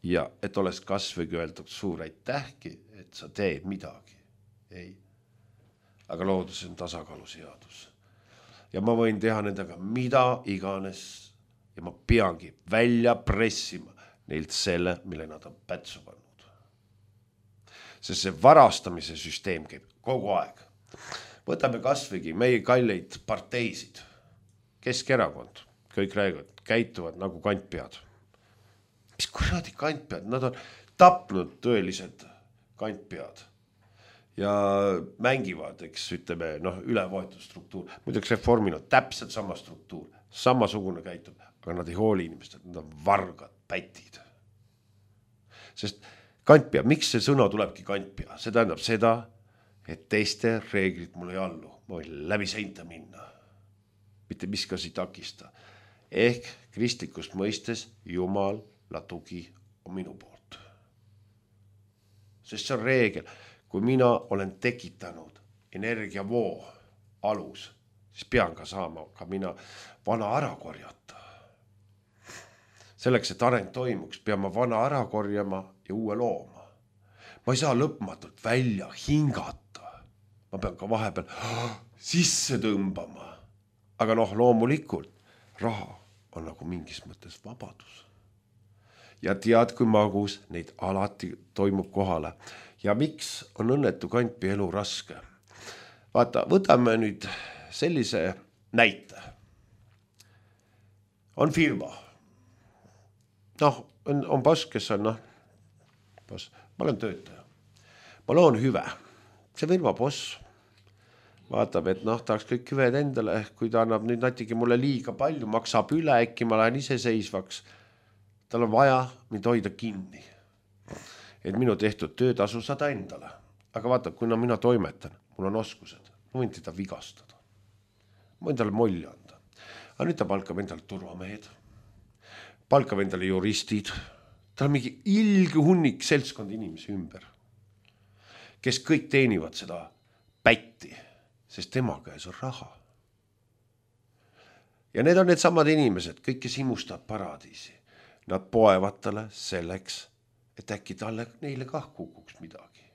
B: Ja et oleks kasvõi öeldud suur aitähki, et sa teed midagi. Ei. Aga loodus on tasakaaluseadus. Ja ma võin teha nendega mida iganes ja ma peangi välja pressima neilt selle, mille nad on pätsu pannud. Sest see varastamise süsteem käib kogu aeg. Võtame kasvõigi meie kalleid parteisid. Keskerakond, kõik räägivad, käituvad nagu kantpead. Mis kuradi kantpead? Nad on tapnud tõelised kantpead ja mängivad, eks ütleme, ülevõetud struktuur. Muideks reformil on täpselt sama struktuur, samasugune käitub, aga nad ei hooli inimesed, nad on vargad, pätid. Sest kantpea, miks see sõna tulebki kantpea? See tähendab seda, et teiste reeglid mul ei allu. Ma võin läbi seinta minna. Mitte miskasi takista. Ehk kristlikust mõistes Jumala tugi on minu poolt. Sest see on reegel. Kui mina olen tekitanud energiavoo alus, siis pean ka saama ka mina vana ära korjata. Selleks, et areng toimuks, pean ma vana ära korjama ja uue looma. Ma ei saa lõpmatult välja hingata. Ma pean ka vahepeal sisse tõmbama. Aga loomulikult raha on nagu mingis mõttes vabadus. Ja tead, kui magus neid alati toimub kohale. Ja miks on õnnetu kantpea elu raske? Vaata, võtame nüüd sellise näite. On firma. On boss, kes on, boss. Ma olen töötaja. Ma loon hüve. See firma boss vaatab, et tahaks kõik hüved endale, kui ta annab nüüd natuke mulle liiga palju, maksab üle, äkki ma lähen iseseisvaks. Tal on vaja mind hoida kinni. Et minu tehtud töötasu saada endale. Aga vaata, kuna mina toimetan, mul on oskused, ma võin teda vigastada. Ma võin talle molli anda. Aga nüüd ta palkab endale turvamehed, palkab endale juristid, tal on mingi ilge hunnik seltskond inimesi ümber, kes kõik teenivad seda pätti, sest tema käes on raha. Ja need on need samad inimesed, kõik, kes imustavad paradiisi. Nad poevad talle selleks, et äkki talle neile kah kukuks midagi.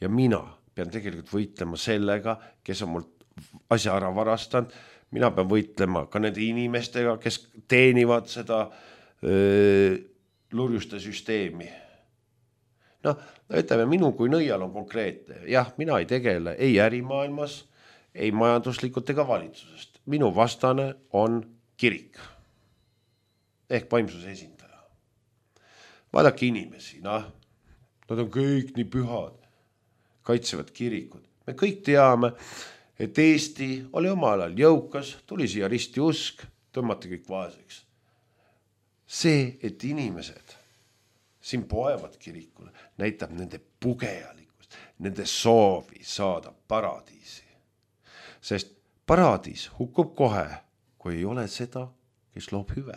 B: Ja mina pean tegelikult võitlema sellega, kes on mul asja ära varastanud. Mina pean võitlema ka nende inimestega, kes teenivad seda lurjuste süsteemi. Ütleme, minu kui nõial on konkreetne. Jah, mina ei tegele ei ärimaailmas, ei majanduslikult ega valitsusest. Minu vastane on kirik. Ehk vaimsuse esindaja. Vaadake inimesi, nad on kõik nii pühad, kaitsevad kirikud. Me kõik teame, et Eesti oli omal ajal jõukas, tuli siia risti usk, tõmmati kõik vaeseks. See, et inimesed siin poevad kirikule, näitab nende pugejalikkust, nende soovi saada paradiisi. Sest paradiis hukkub kohe, kui ei ole seda, kes loob hüve.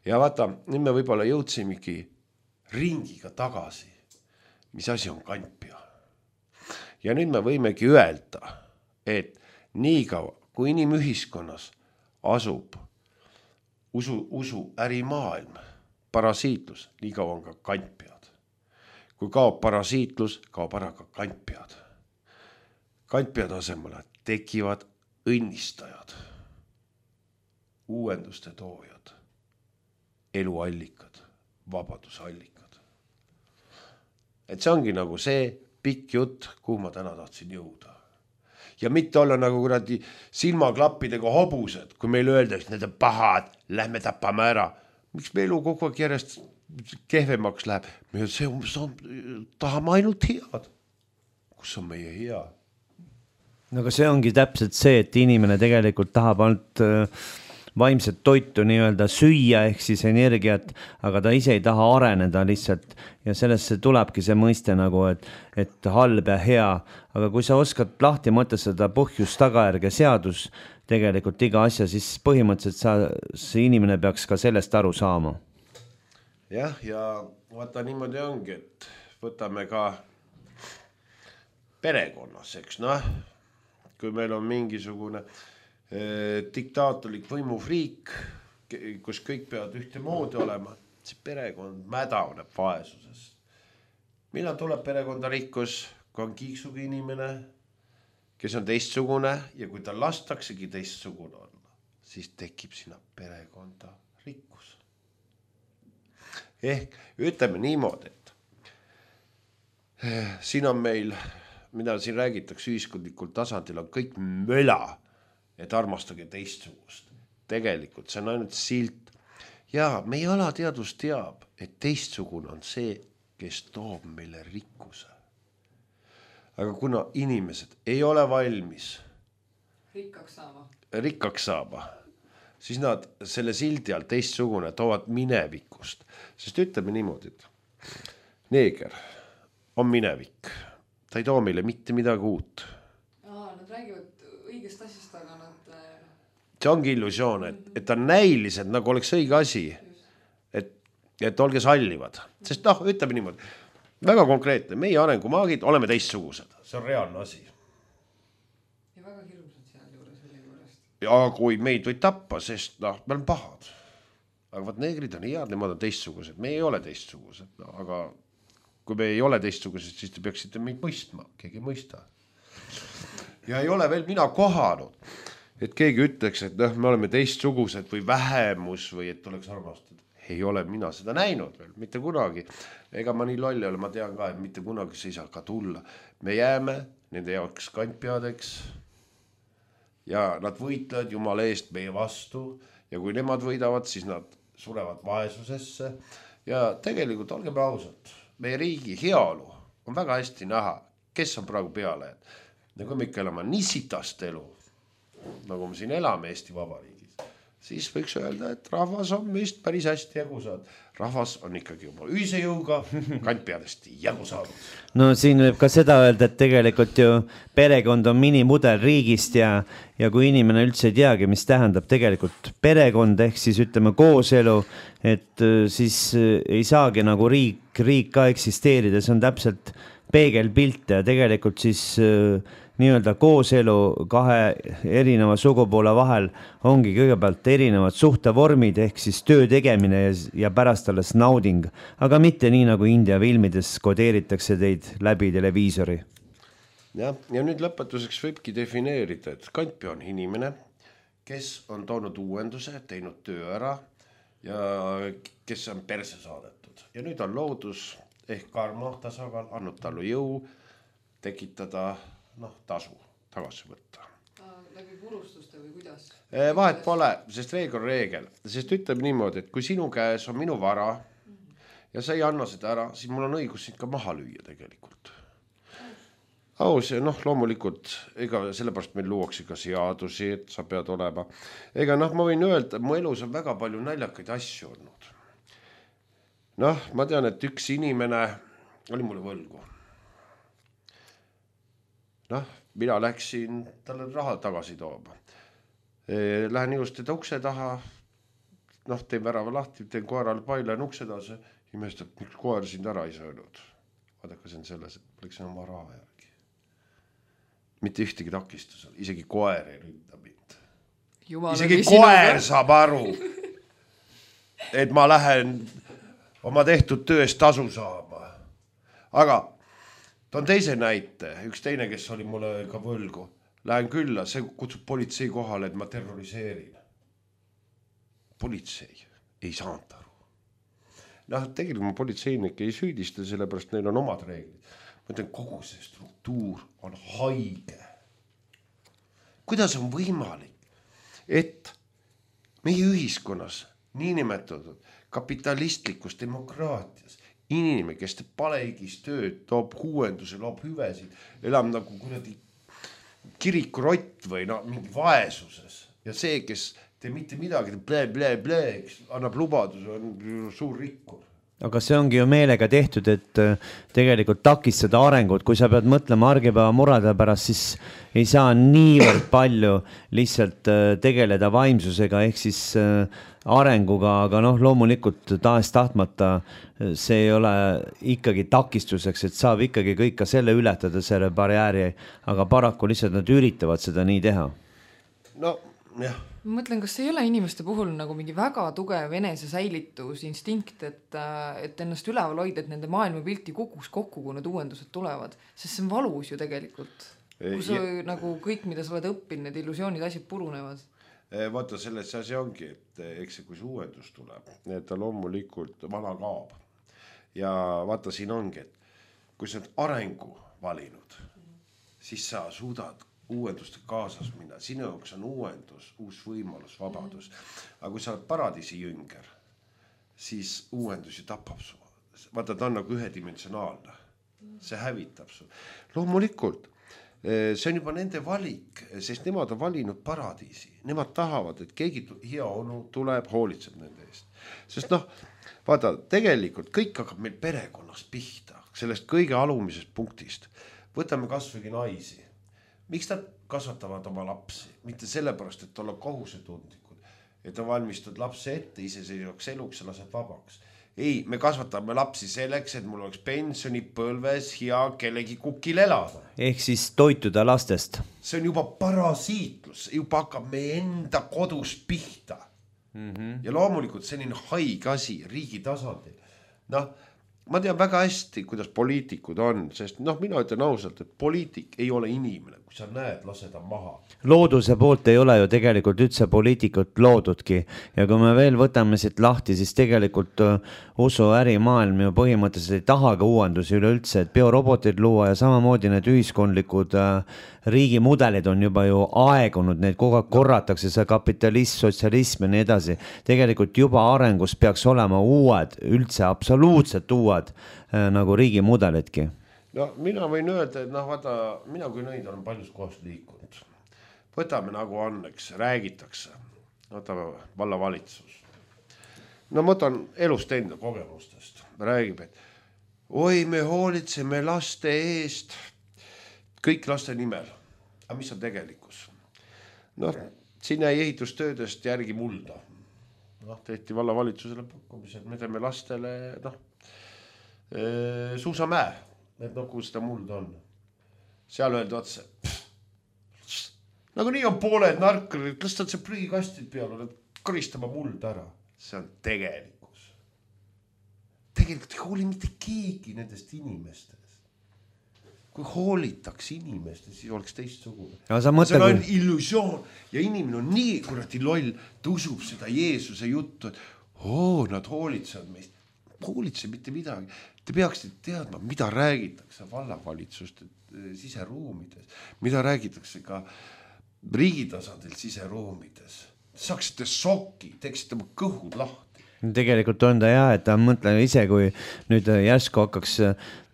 B: Ja vaata, nüüd me võib-olla jõudsimegi ringiga tagasi, mis asi on kantpea. Ja nüüd me võimegi öelda, et nii kaua, kui inimühiskonnas asub usu ärimaailm, parasiitlus, nii kaua on ka kantpead. Kui kaob parasiitlus, kaob ära ka kantpead. Kantpead asemele tekivad õnnistajad, uuenduste toojad, eluallikad, vabadusallikad. Et see ongi nagu see pikk jutt, kuhu ma täna tahtsin jõuda. Ja mitte olla nagu kuradi silmaklappidega hobused, kui meil öeldaks, need on pahad, lähme tapame ära. Miks me elu kogu aeg järjest kehvemaks läheb? Me tahame ainult head. Kus on meie hea?
A: No aga see ongi täpselt see, et inimene tegelikult tahab ainult vaimset toitu nii-öelda süüa ehk siis energiat, aga ta ise ei taha areneda lihtsalt ja sellesse tulebki see mõiste nagu, et halb ja hea, aga kui sa oskad lahti mõtestada põhjus, tagajärg ja seadus tegelikult iga asja, siis põhimõtteliselt see inimene peaks ka sellest aru saama.
B: Jah, ja vaata niimoodi ongi, et võtame ka perekonnas, eks kui meil on mingisugune diktaatorlik võimufriik, kus kõik peavad ühte moodi olema, see perekond mädaneb vaesuses. Millal tuleb perekonda rikkus, kui on kiiksuga inimene, kes on teistsugune ja kui ta lastaksegi teistsugune olla, siis tekib sinna perekonda rikkus. Ehk ütleme niimoodi, et siin on meil, mida siin räägitakse ühiskondlikul tasandil, on kõik möla, et armastage teistsugust. Tegelikult see on ainult silt. Ja meie alateadus teab, et teistsugune on see, kes toob meile rikkuse. Aga kuna inimesed ei ole valmis rikkaks saama, siis nad selle sildi all teistsugune toovad minevikust. Sest ütleme niimoodi, et neeger on minevik. Ta ei too meile mitte midagi uut.
C: Nad räägivad õigest asjast, aga nad...
B: See ongi illusioon, et on näilised, nagu oleks õige asi, et olge sallivad. Sest ütleme niimoodi, väga konkreetne, meie arengumaagid oleme teistsugused. See on reaalne asi.
C: Ja väga hirmsad seal juures selle juurest.
B: Ja kui meid võid tappa, sest me oleme pahad. Aga vaat neegrid on head, nemad on teistsugused. Me ei ole teistsugused, aga kui me ei ole teistsugused, siis te peaksite meid mõistma. Keegi ei mõista. Ja ei ole veel mina kohanud, et keegi ütleks, et me oleme teistsugused või vähemus või et oleks armastatud. Ei ole mina seda näinud veel, mitte kunagi. Ega ma nii loll ole, ma tean ka, et mitte kunagi see ei saa ka tulla. Me jääme nende jaoks kantpeadeks ja nad võitlevad Jumala eest meie vastu ja kui nemad võidavad, siis nad surevad vaesusesse ja tegelikult olgeme ausad, meie riigi heaolu on väga hästi näha, kes on praegu peale. Ja kui me ikka elame nii sitast elu, nagu me siin elame Eesti Vabariigis, siis võiks öelda, et rahvas on meist päris hästi jagu saanud. Rahvas on ikkagi juba ühise jõuga kantpeadest jagu saanud.
A: No siin võib ka seda öelda, et tegelikult ju perekond on minimudel riigist ja kui inimene üldse ei teagi, mis tähendab tegelikult perekond ehk siis ütleme kooselu, et siis ei saagi nagu riik ka eksisteerida, see on täpselt peegelpilt ja tegelikult siis nii-öelda kooselu kahe erineva sugupoole vahel ongi kõigepealt erinevad suhtevormid ehk siis töö tegemine ja pärast alles nauding, aga mitte nii nagu India filmides kodeeritakse teid läbi televiisori.
B: Ja nüüd lõpetuseks võibki defineerida, et kantpea on inimene, kes on toonud uuenduse, teinud töö ära ja kes on perse saadetud. Ja nüüd on loodus ehk karma tasakaal andnud talle jõu tekitada tasu tagasi võtta.
C: Läbi purustuste või kuidas?
B: Vahet pole, sest reegel on reegel. Sest ütleb niimoodi, et kui sinu käes on minu vara ja sa ei anna seda ära, siis mul on õigus sind ka maha lüüa tegelikult. Aus ja loomulikult, ega sellepärast meil luuakse ka seadusi, et sa pead olema. Ega ma võin öelda, mu elus on väga palju naljakaid asju olnud. Ma tean, et üks inimene oli mulle võlgu. Mina läksin talle raha tagasi tooma. Lähen just teda ukse taha, teen värava lahti, teen koerale paila ukse taas imestab, miks koer sind ära ei söönud. Vaadaka, see on selles, et poleks enam vara järgi. Mitte ühtegi takistusel, isegi koer ei ründa mind. Isegi koer saab aru, et ma lähen oma tehtud tööst tasu saama. Aga toon teise näite, üks teine, kes oli mulle ka võlgu. Lähen külla, see kutsub politsei kohale, et ma terroriseerin. Politsei ei saanud aru. Tegelikult ma politseinik ei süüdista, sellepärast neil on omad reeglid. Ma ütlen, kogu see struktuur on haige. Kuidas on võimalik, et meie ühiskonnas, niinimetatud kapitalistlikus demokraatias, inimene, kes teeb palehigis tööd, toob uuendusi, loob hüvesid, elab nagu kuradi kirikurott või mingi vaesuses. Ja see, kes teeb mitte midagi, annab lubaduse, on suur rikkur.
A: Aga see ongi ju meelega tehtud, et tegelikult takistada arengut. Kui sa pead mõtlema argipäeva murade pärast, siis ei saa niivõrd palju lihtsalt tegeleda vaimsusega ehk siis arenguga, aga loomulikult tahes tahtmata see ei ole ikkagi takistuseks, et saab ikkagi kõik ka selle ületada, selle barjääri, aga paraku lihtsalt nad üritavad seda nii teha.
B: No, jah.
C: Ma mõtlen, kas ei ole inimeste puhul nagu mingi väga tugev enese säilitusinstinkt, et ennast üleval hoida, et nende maailmapilti kukuks kokku, kui need uuendused tulevad, sest see on valus ju tegelikult. Kus nagu kõik, mida sa oled õppinud, need illusioonid, asjad purunevad.
B: Vaata, selles asi ongi, et eks see, kui see uuendus tuleb, ta loomulikult vana kaob. Ja vaata, siin ongi, et kui sa oled arengu valinud, siis sa suudad uuenduste kaasas minna. Sinu jaoks on uuendus, uus võimalus, vabadus. Aga kui sa oled paradiisi jünger, siis uuendus ju tapab su. Vaata, ta on nagu ühedimensionaalne. See hävitab su. Loomulikult, see on juba nende valik, sest nemad on valinud paradiisi. Nemad tahavad, et keegi hea onu tuleb, hoolitseb nende eest. Sest vaata, tegelikult kõik hakkab meil perekonnas pihta, sellest kõige alumisest punktist. Võtame kasvõi naisi. Miks nad kasvatavad oma lapsi? Mitte sellepärast, et olla kohusetundlikud, et on valmistud lapse ette iseseisvaks eluks ja lased vabaks. Ei, me kasvatame lapsi selleks, et mul oleks pensionipõlves hea kellegi kukil elada.
A: Ehk siis toituda lastest.
B: See on juba parasiitlus, juba hakkab meie enda kodus pihta. Ja loomulikult selline haig asi riigi tasandil. Ma tean väga hästi, kuidas poliitikud on, sest mina ütlen ausalt, et poliitik ei ole inimene, kui sa näed, laseda maha.
A: Looduse poolt ei ole ju tegelikult üldse poliitikut loodudki ja kui me veel võtame siit lahti, siis tegelikult usu ärimaailm ju põhimõtteliselt ei tahaga uuendusi üleüldse, et biorobotid luua ja samamoodi need ühiskondlikud riigimudelid on juba ju aegunud, neid kogu aeg korratakse, see kapitalism, sotsialism ja nii edasi. Tegelikult juba arengus peaks olema uued, üldse absoluutselt uued nagu riigimudelidki.
B: Mina võin öelda, et vaata, mina kui nõid olen paljus kohast liikunud. Võtame nagu on, eks, räägitakse. Võtame vallavalitsus. Ma võtan elust enda kogemustest. Räägib, et oi, me hoolitseme laste eest, kõik laste nimel. Aga mis on tegelikkus? Siin jäi ehitustöödest järgi mulda. Tehti vallavalitsusele pakkumised, me teeme lastele suusamäe, et kui seda mulda on. Seal öeldi otse, nagu nii on pooled narkarid, lastad see prügikastid peale, nad koristama mulda ära. See on tegelikkus. Tegelikult ei hooli mitte keegi nendest inimestest. Kui hoolitaks inimestest, siis oleks teistsugune. See on illusioon ja inimene on nii kuradi loll, ta usub seda Jeesuse juttu, et nad hoolitsevad meist. Hoolitse mitte midagi. Te peaksite teadma, mida räägitakse vallavalitsuste siseruumides, mida räägitakse ka riigitasandil siseruumides. Saaksite soki, teeksite oma kõhud lahti.
A: Tegelikult on ta et ta mõtlen ise, kui nüüd järsku hakkaks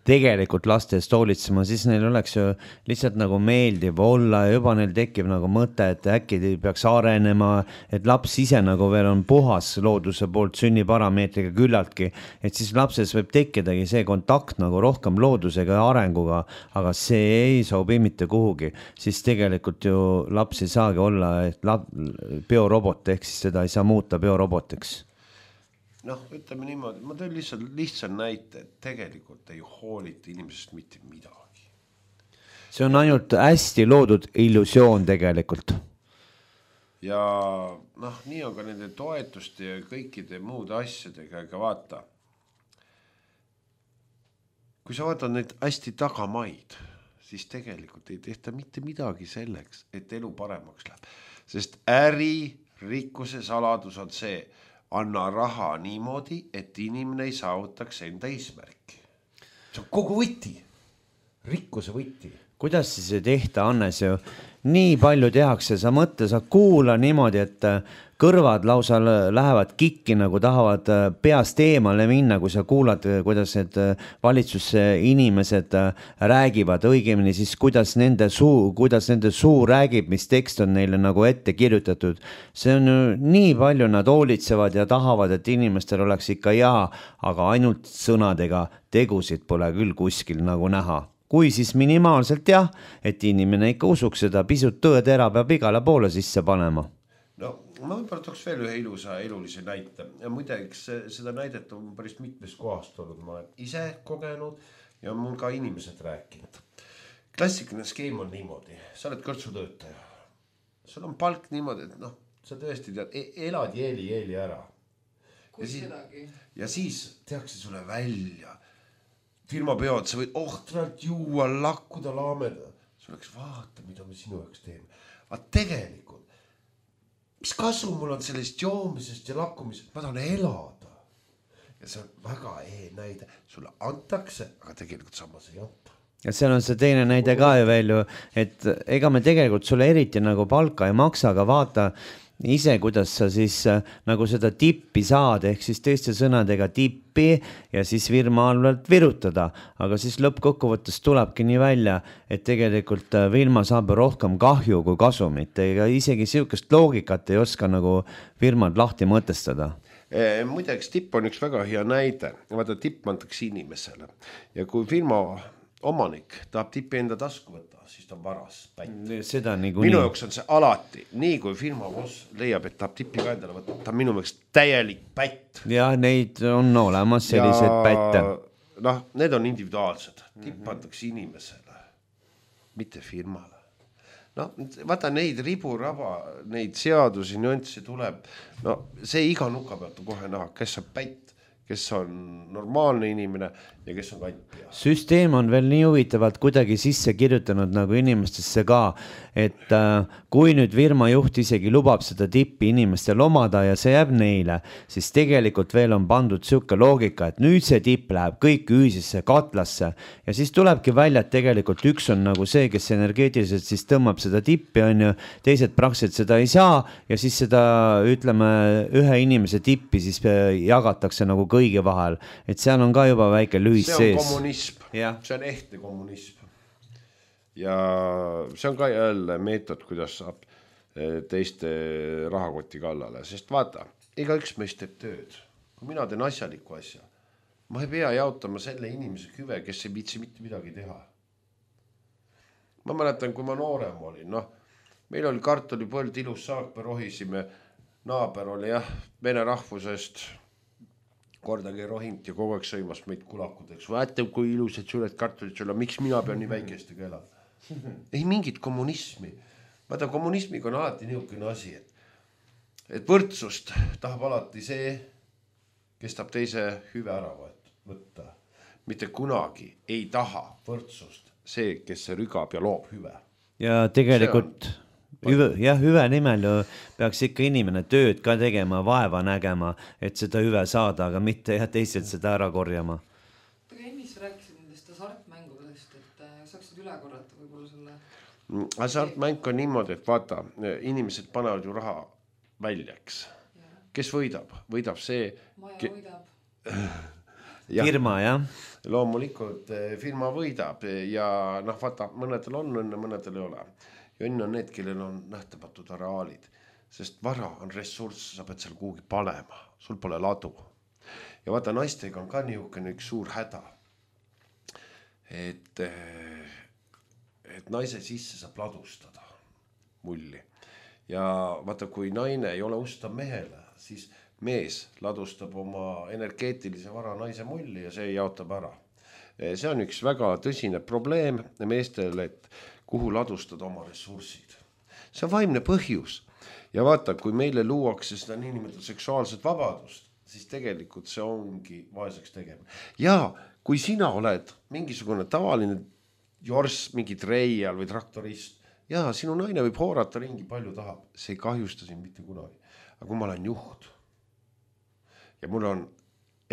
A: tegelikult laste eest hoolitsema, siis neil oleks ju lihtsalt nagu meeldiv olla ja juba neil tekib nagu mõte, et äkki peaks arenema, et laps ise nagu veel on puhas looduse poolt sünniparameetriga küllaltki, et siis lapses võib tekkidagi see kontakt nagu rohkem loodusega ja arenguga, aga see ei sobi mitte kuhugi, siis tegelikult ju laps ei saagi olla biorobot, ehk siis seda ei saa muuta biorobotiks.
B: noh, ütleme niimoodi, ma teen lihtsalt näite, et tegelikult ei hoolita inimesest mitte midagi.
A: See on ainult hästi loodud illusioon tegelikult.
B: Ja noh, nii on ka nende toetuste ja kõikide muude asjadega, aga vaata, kui sa vaatad neid hästi tagamaid, siis tegelikult ei tehta mitte midagi selleks, et elu paremaks läheb. Sest rikkuse saladus on see, anna raha niimoodi, et inimene ei saavutaks enda eesmärki. See on kogu võti, rikkuse võti.
A: Kuidas siis ei tehta, Hannes, ju nii palju tehakse, sa mõtle, sa kuula niimoodi, et kõrvad lausa lähevad kikki, nagu tahavad peast eemale minna, kui sa kuulad, kuidas need valitsuse inimesed räägivad, õigemini siis kuidas nende suu räägib, mis tekst on neile nagu ette kirjutatud. See on ju nii palju, nad hoolitsevad ja tahavad, et inimestel oleks ikka hea, aga ainult sõnadega tegusid pole küll kuskil nagu näha. Kui siis minimaalselt jah, et inimene ikka usuks seda, pisut tõetera peab igale poole sisse panema.
B: No ma võib-olla tooks veel ühe ilusa elulise näite. Ja muideks seda näidet on päris mitmes kohast olnud. Ma olen ise kogenud ja mul ka inimesed rääkinud. Klassikaline skeem on niimoodi. Sa oled kõrtsutöötaja. Sul on palk niimoodi, et noh, sa tõesti tead, elad jeeli ära. Ja siis tehakse sulle välja firma peod, sa võid ohtralt juua, lakkuda, laameda. Sul oleks vaata, mida me sinu jaoks teeme. Aga tegelikult, mis kasu mul on sellest joomisest ja lakkumisest? Ma tahan elada. Ja see on väga näide. Sulle antakse, aga tegelikult samas ei anta.
A: Ja seal on see teine näide ka ju veel ju, et ega me tegelikult sulle eriti nagu palka ei maksa, aga vaata ise, kuidas sa siis nagu seda tippi saad, ehk siis teiste sõnadega tippi ja siis firma allalt virutada. Aga siis lõppkokkuvõttes tulebki nii välja, et tegelikult firma saab rohkem kahju kui kasumit. Ega isegi sihukest loogikat ei oska nagu firmad lahti mõtestada.
B: Muideks tipp on üks väga hea näide. Vaata, tipp antakse inimesele. Ja kui firma omanik tahab tippi enda tasku võtta, siis ta on varas pätt.
A: Seda
B: minu jaoks on see alati, nii kui firma boss leiab, et tahab tippi ka endale võtta, ta on minu jaoks täielik pätt.
A: Ja neid on olemas sellised pätte.
B: Noh, need on individuaalsed. Tipp antakse inimesele, mitte firmale. No, vaata neid riburaba, neid seadusi, nüansse tuleb. No, see iga nuka pealt kohe näha, kes on pätt, kes on normaalne inimene ja kes on kantpea.
A: Süsteem on veel nii huvitavalt kuidagi sisse kirjutanud nagu inimestesse ka, et kui nüüd firma juht isegi lubab seda tippi inimestel omada ja see jääb neile, siis tegelikult veel on pandud siuke loogika, et nüüd see tipp läheb kõik ühisesse katlasse ja siis tulebki välja, et tegelikult üks on nagu see, kes energeetiliselt siis tõmbab seda tippi, on ju, teised praktiliselt seda ei saa ja siis seda, ütleme, ühe inimese tippi siis jagatakse nagu kõigi vahel, et seal on ka juba väike lühis sees.
B: See on kommunism, see on ehtne kommunism. Ja see on ka jälle meetod, kuidas saab teiste rahakoti kallale, sest vaata, iga üks meist teeb tööd. Kui mina teen asjaliku asja, ma ei pea jautama selle inimese hüve, kes ei viitsi mitte midagi teha. Ma mäletan, kui ma noorem olin, noh, meil oli kartulipõld, ilus saak, me rohisime, naaber oli jah, vene rahvusest, kordagi rohint ja kogu aeg sõimas meid kulakudeks. Vaata, kui ilusad suured kartulid sulle, miks mina pean nii väikestega elada? Ei mingit kommunismi. Vaata, kommunismiga on alati niisugune asi, et võrdsust tahab alati see, kes tahab teise hüve ära võtta. Mitte kunagi ei taha võrdsust see, kes see rügab ja loob hüve.
A: Ja tegelikult hüve nimel ju peaks ikka inimene tööd ka tegema, vaeva nägema, et seda hüve saada, aga mitte ja teised seda ära korjama.
C: Aga ennist rääkisid nendest hasartmängudest, et saaksid üle korrata võib-olla selle?
B: Hasartmäng on niimoodi, et vaata, inimesed panevad ju raha väljaks. Kes võidab? Võidab see...
C: Maja võidab.
A: Firma, jah?
B: Loomulikult firma võidab ja noh, vaata, mõnedel on õnne, mõnedel ei ole. Ja õnne on need, kellel on nähtamatud varaalid, sest vara on ressurss, sa pead seal kuhugi panema, sul pole ladu. Ja vaata, naistega on ka niisugune üks suur häda, et naise sisse saab ladustada mulli. Ja vaata, kui naine ei ole ustav mehele, siis mees ladustab oma energeetilise vara naise mulli ja see jaotab ära. See on üks väga tõsine probleem meestele, et kuhu ladustada oma ressursid. See on vaimne põhjus. Ja vaata, kui meile luuakse seda niinimetatud seksuaalset vabadust, siis tegelikult see ongi vaeseks tegema. Ja kui sina oled mingisugune tavaline jorss, mingi treial või traktorist, ja sinu naine võib hoorata ringi palju tahab, see ei kahjusta sind mitte kunagi. Aga kui ma olen juht ja mul on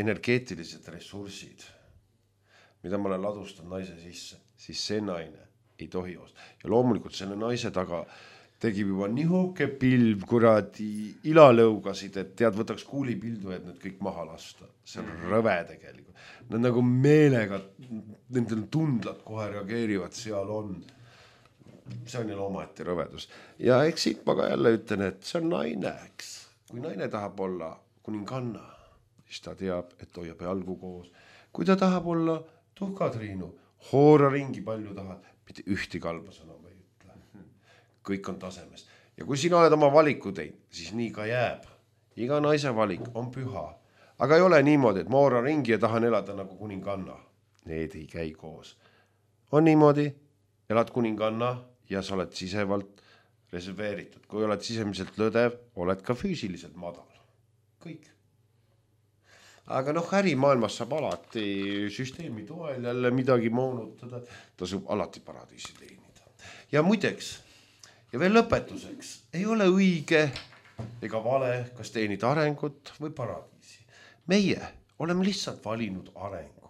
B: energeetilised ressursid, mida ma olen ladustanud naise sisse, siis see naine ei tohi osta. Ja loomulikult selle naise taga tegib juba nihuke pilv, kuradi ilalõugasid, et tead, võtaks kuulipildu, et need kõik maha lasta. See on rõve tegelikult. Nad nagu meelega, nendel tundlad kohe reageerivad, seal on. See on jälle omaette rõvedus. Ja eks siit ma ka jälle ütlen, et see on naine, eks. Kui naine tahab olla kuninganna, siis ta teab, et hoiab jalgu koos. Kui ta tahab olla tuhkatriinu, hoora ringi palju tahad, mitte ühti kalba sõna ma ei ütle. Kõik on tasemest. Ja kui sina oled oma valiku teinud, siis nii ka jääb. Iga naise valik on püha. Aga ei ole niimoodi, et ma hoora ringi ja tahan elada nagu kuninganna. Need ei käi koos. On niimoodi, elad kuninganna ja sa oled sisevalt reserveeritud. Kui oled sisemiselt lõdev, oled ka füüsiliselt madal. Kõik. Aga ärimaailmas saab alati süsteemi toel jälle midagi moonutada, tasub alati paradiisi teenida. Ja muideks, ja veel lõpetuseks, ei ole õige ega vale, kas teenida arengut või paradiisi. Meie oleme lihtsalt valinud arengu.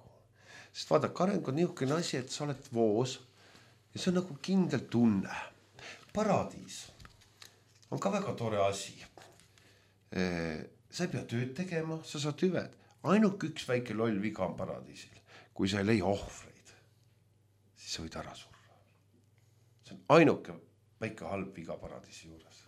B: Sest vaadake, areng on niisugune asi, et sa oled voos ja see on nagu kindel tunne. Paradiis on ka väga tore asi. Sa ei pea tööd tegema, sa saad hüved. Ainult üks väike loll viga on paradiisil. Kui sa ei leia ohvreid, siis sa võid ära surra. See on ainuke väike halb viga paradiisi juures.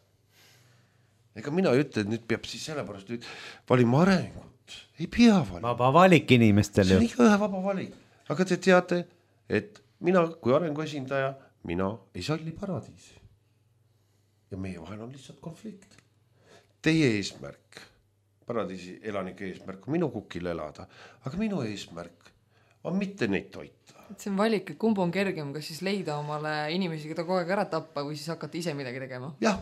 B: Ega mina ütle, et nüüd peab siis sellepärast nüüd valima arengut. Ei pea valima.
A: Vaba valik inimestel ju.
B: See on ikka ühe vaba valik. Aga te teate, et mina kui arengu esindaja, mina ei salli paradiisi. Ja meie vahel on lihtsalt konflikt. Teie eesmärk, paradiisi elanike eesmärk on minu kukil elada, aga minu eesmärk on mitte neid toita.
C: See on valik, et kumb on kergem, kas siis leida omale inimesi, keda kogu aeg ära tappa või siis hakata ise midagi tegema?
B: Jah,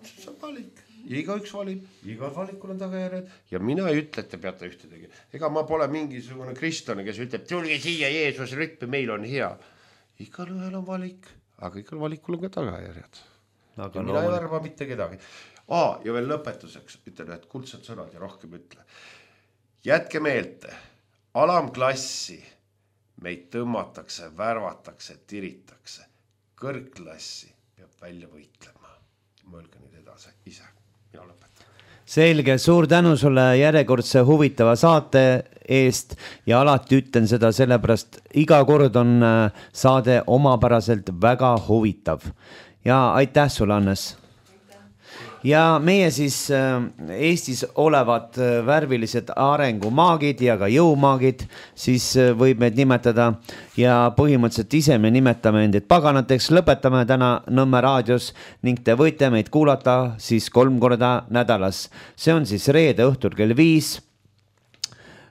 B: see on valik. Ja igaüks valib, igal valikul on tagajärjed ja mina ei ütle, et te peate ühte tegema. Ega ma pole mingisugune kristlane, kes ütleb, tulge siia Jeesus rüppe, meil on hea. Igal ühel on valik, aga igal valikul on ka tagajärjed. Aga ja mina ei arva mitte kedagi. Ja veel lõpetuseks ütlen ühed kuldsed sõnad ja rohkem ütle. Jätke meelte, alamklassi meid tõmmatakse, värvatakse, tiritakse. Kõrgklassi peab välja võitlema. Mõelge nüüd edasi ise. Mina lõpetan.
A: Selge, suur tänu sulle järjekordse huvitava saate eest ja alati ütlen seda sellepärast, iga kord on saade omapäraselt väga huvitav. Ja aitäh sulle, Annes! Ja meie siis Eestis olevad värvilised arengumaagid ja ka jõumaagid, siis võib meid nimetada ja põhimõtteliselt ise me nimetame endid paganateks, lõpetame täna Nõmme raadios ning te võite meid kuulata siis 3 korda nädalas. See on siis reede õhtul kell 5,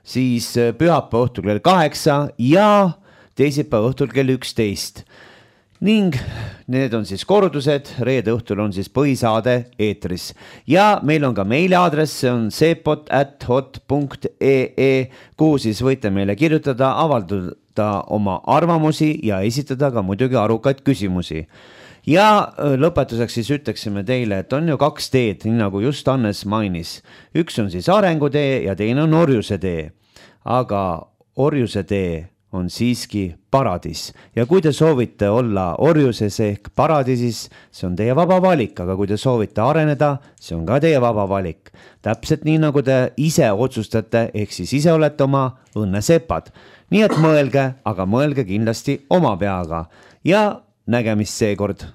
A: siis pühapäeva õhtul kell 8 ja teisipäeva õhtul kell 11. Ning need on siis kordused, reede õhtul on siis põhisaade eetris. Ja meil on ka meiliaadress, see on sepot@hot.ee, kuhu siis võite meile kirjutada, avaldada oma arvamusi ja esitada ka muidugi arukaid küsimusi. Ja lõpetuseks siis ütleksime teile, et on ju 2 teed, nii nagu just Annes mainis. Üks on siis arengutee ja teine on orjuse tee. Aga orjuse tee on siiski paradiis. Ja kui te soovite olla orjuses ehk paradiisis, see on teie vaba valik, aga kui te soovite areneda, see on ka teie vaba valik. Täpselt nii, nagu te ise otsustate, ehk siis ise olete oma õnnesepad. Nii et mõelge, aga mõelge kindlasti oma peaga. Ja nägemist seekord!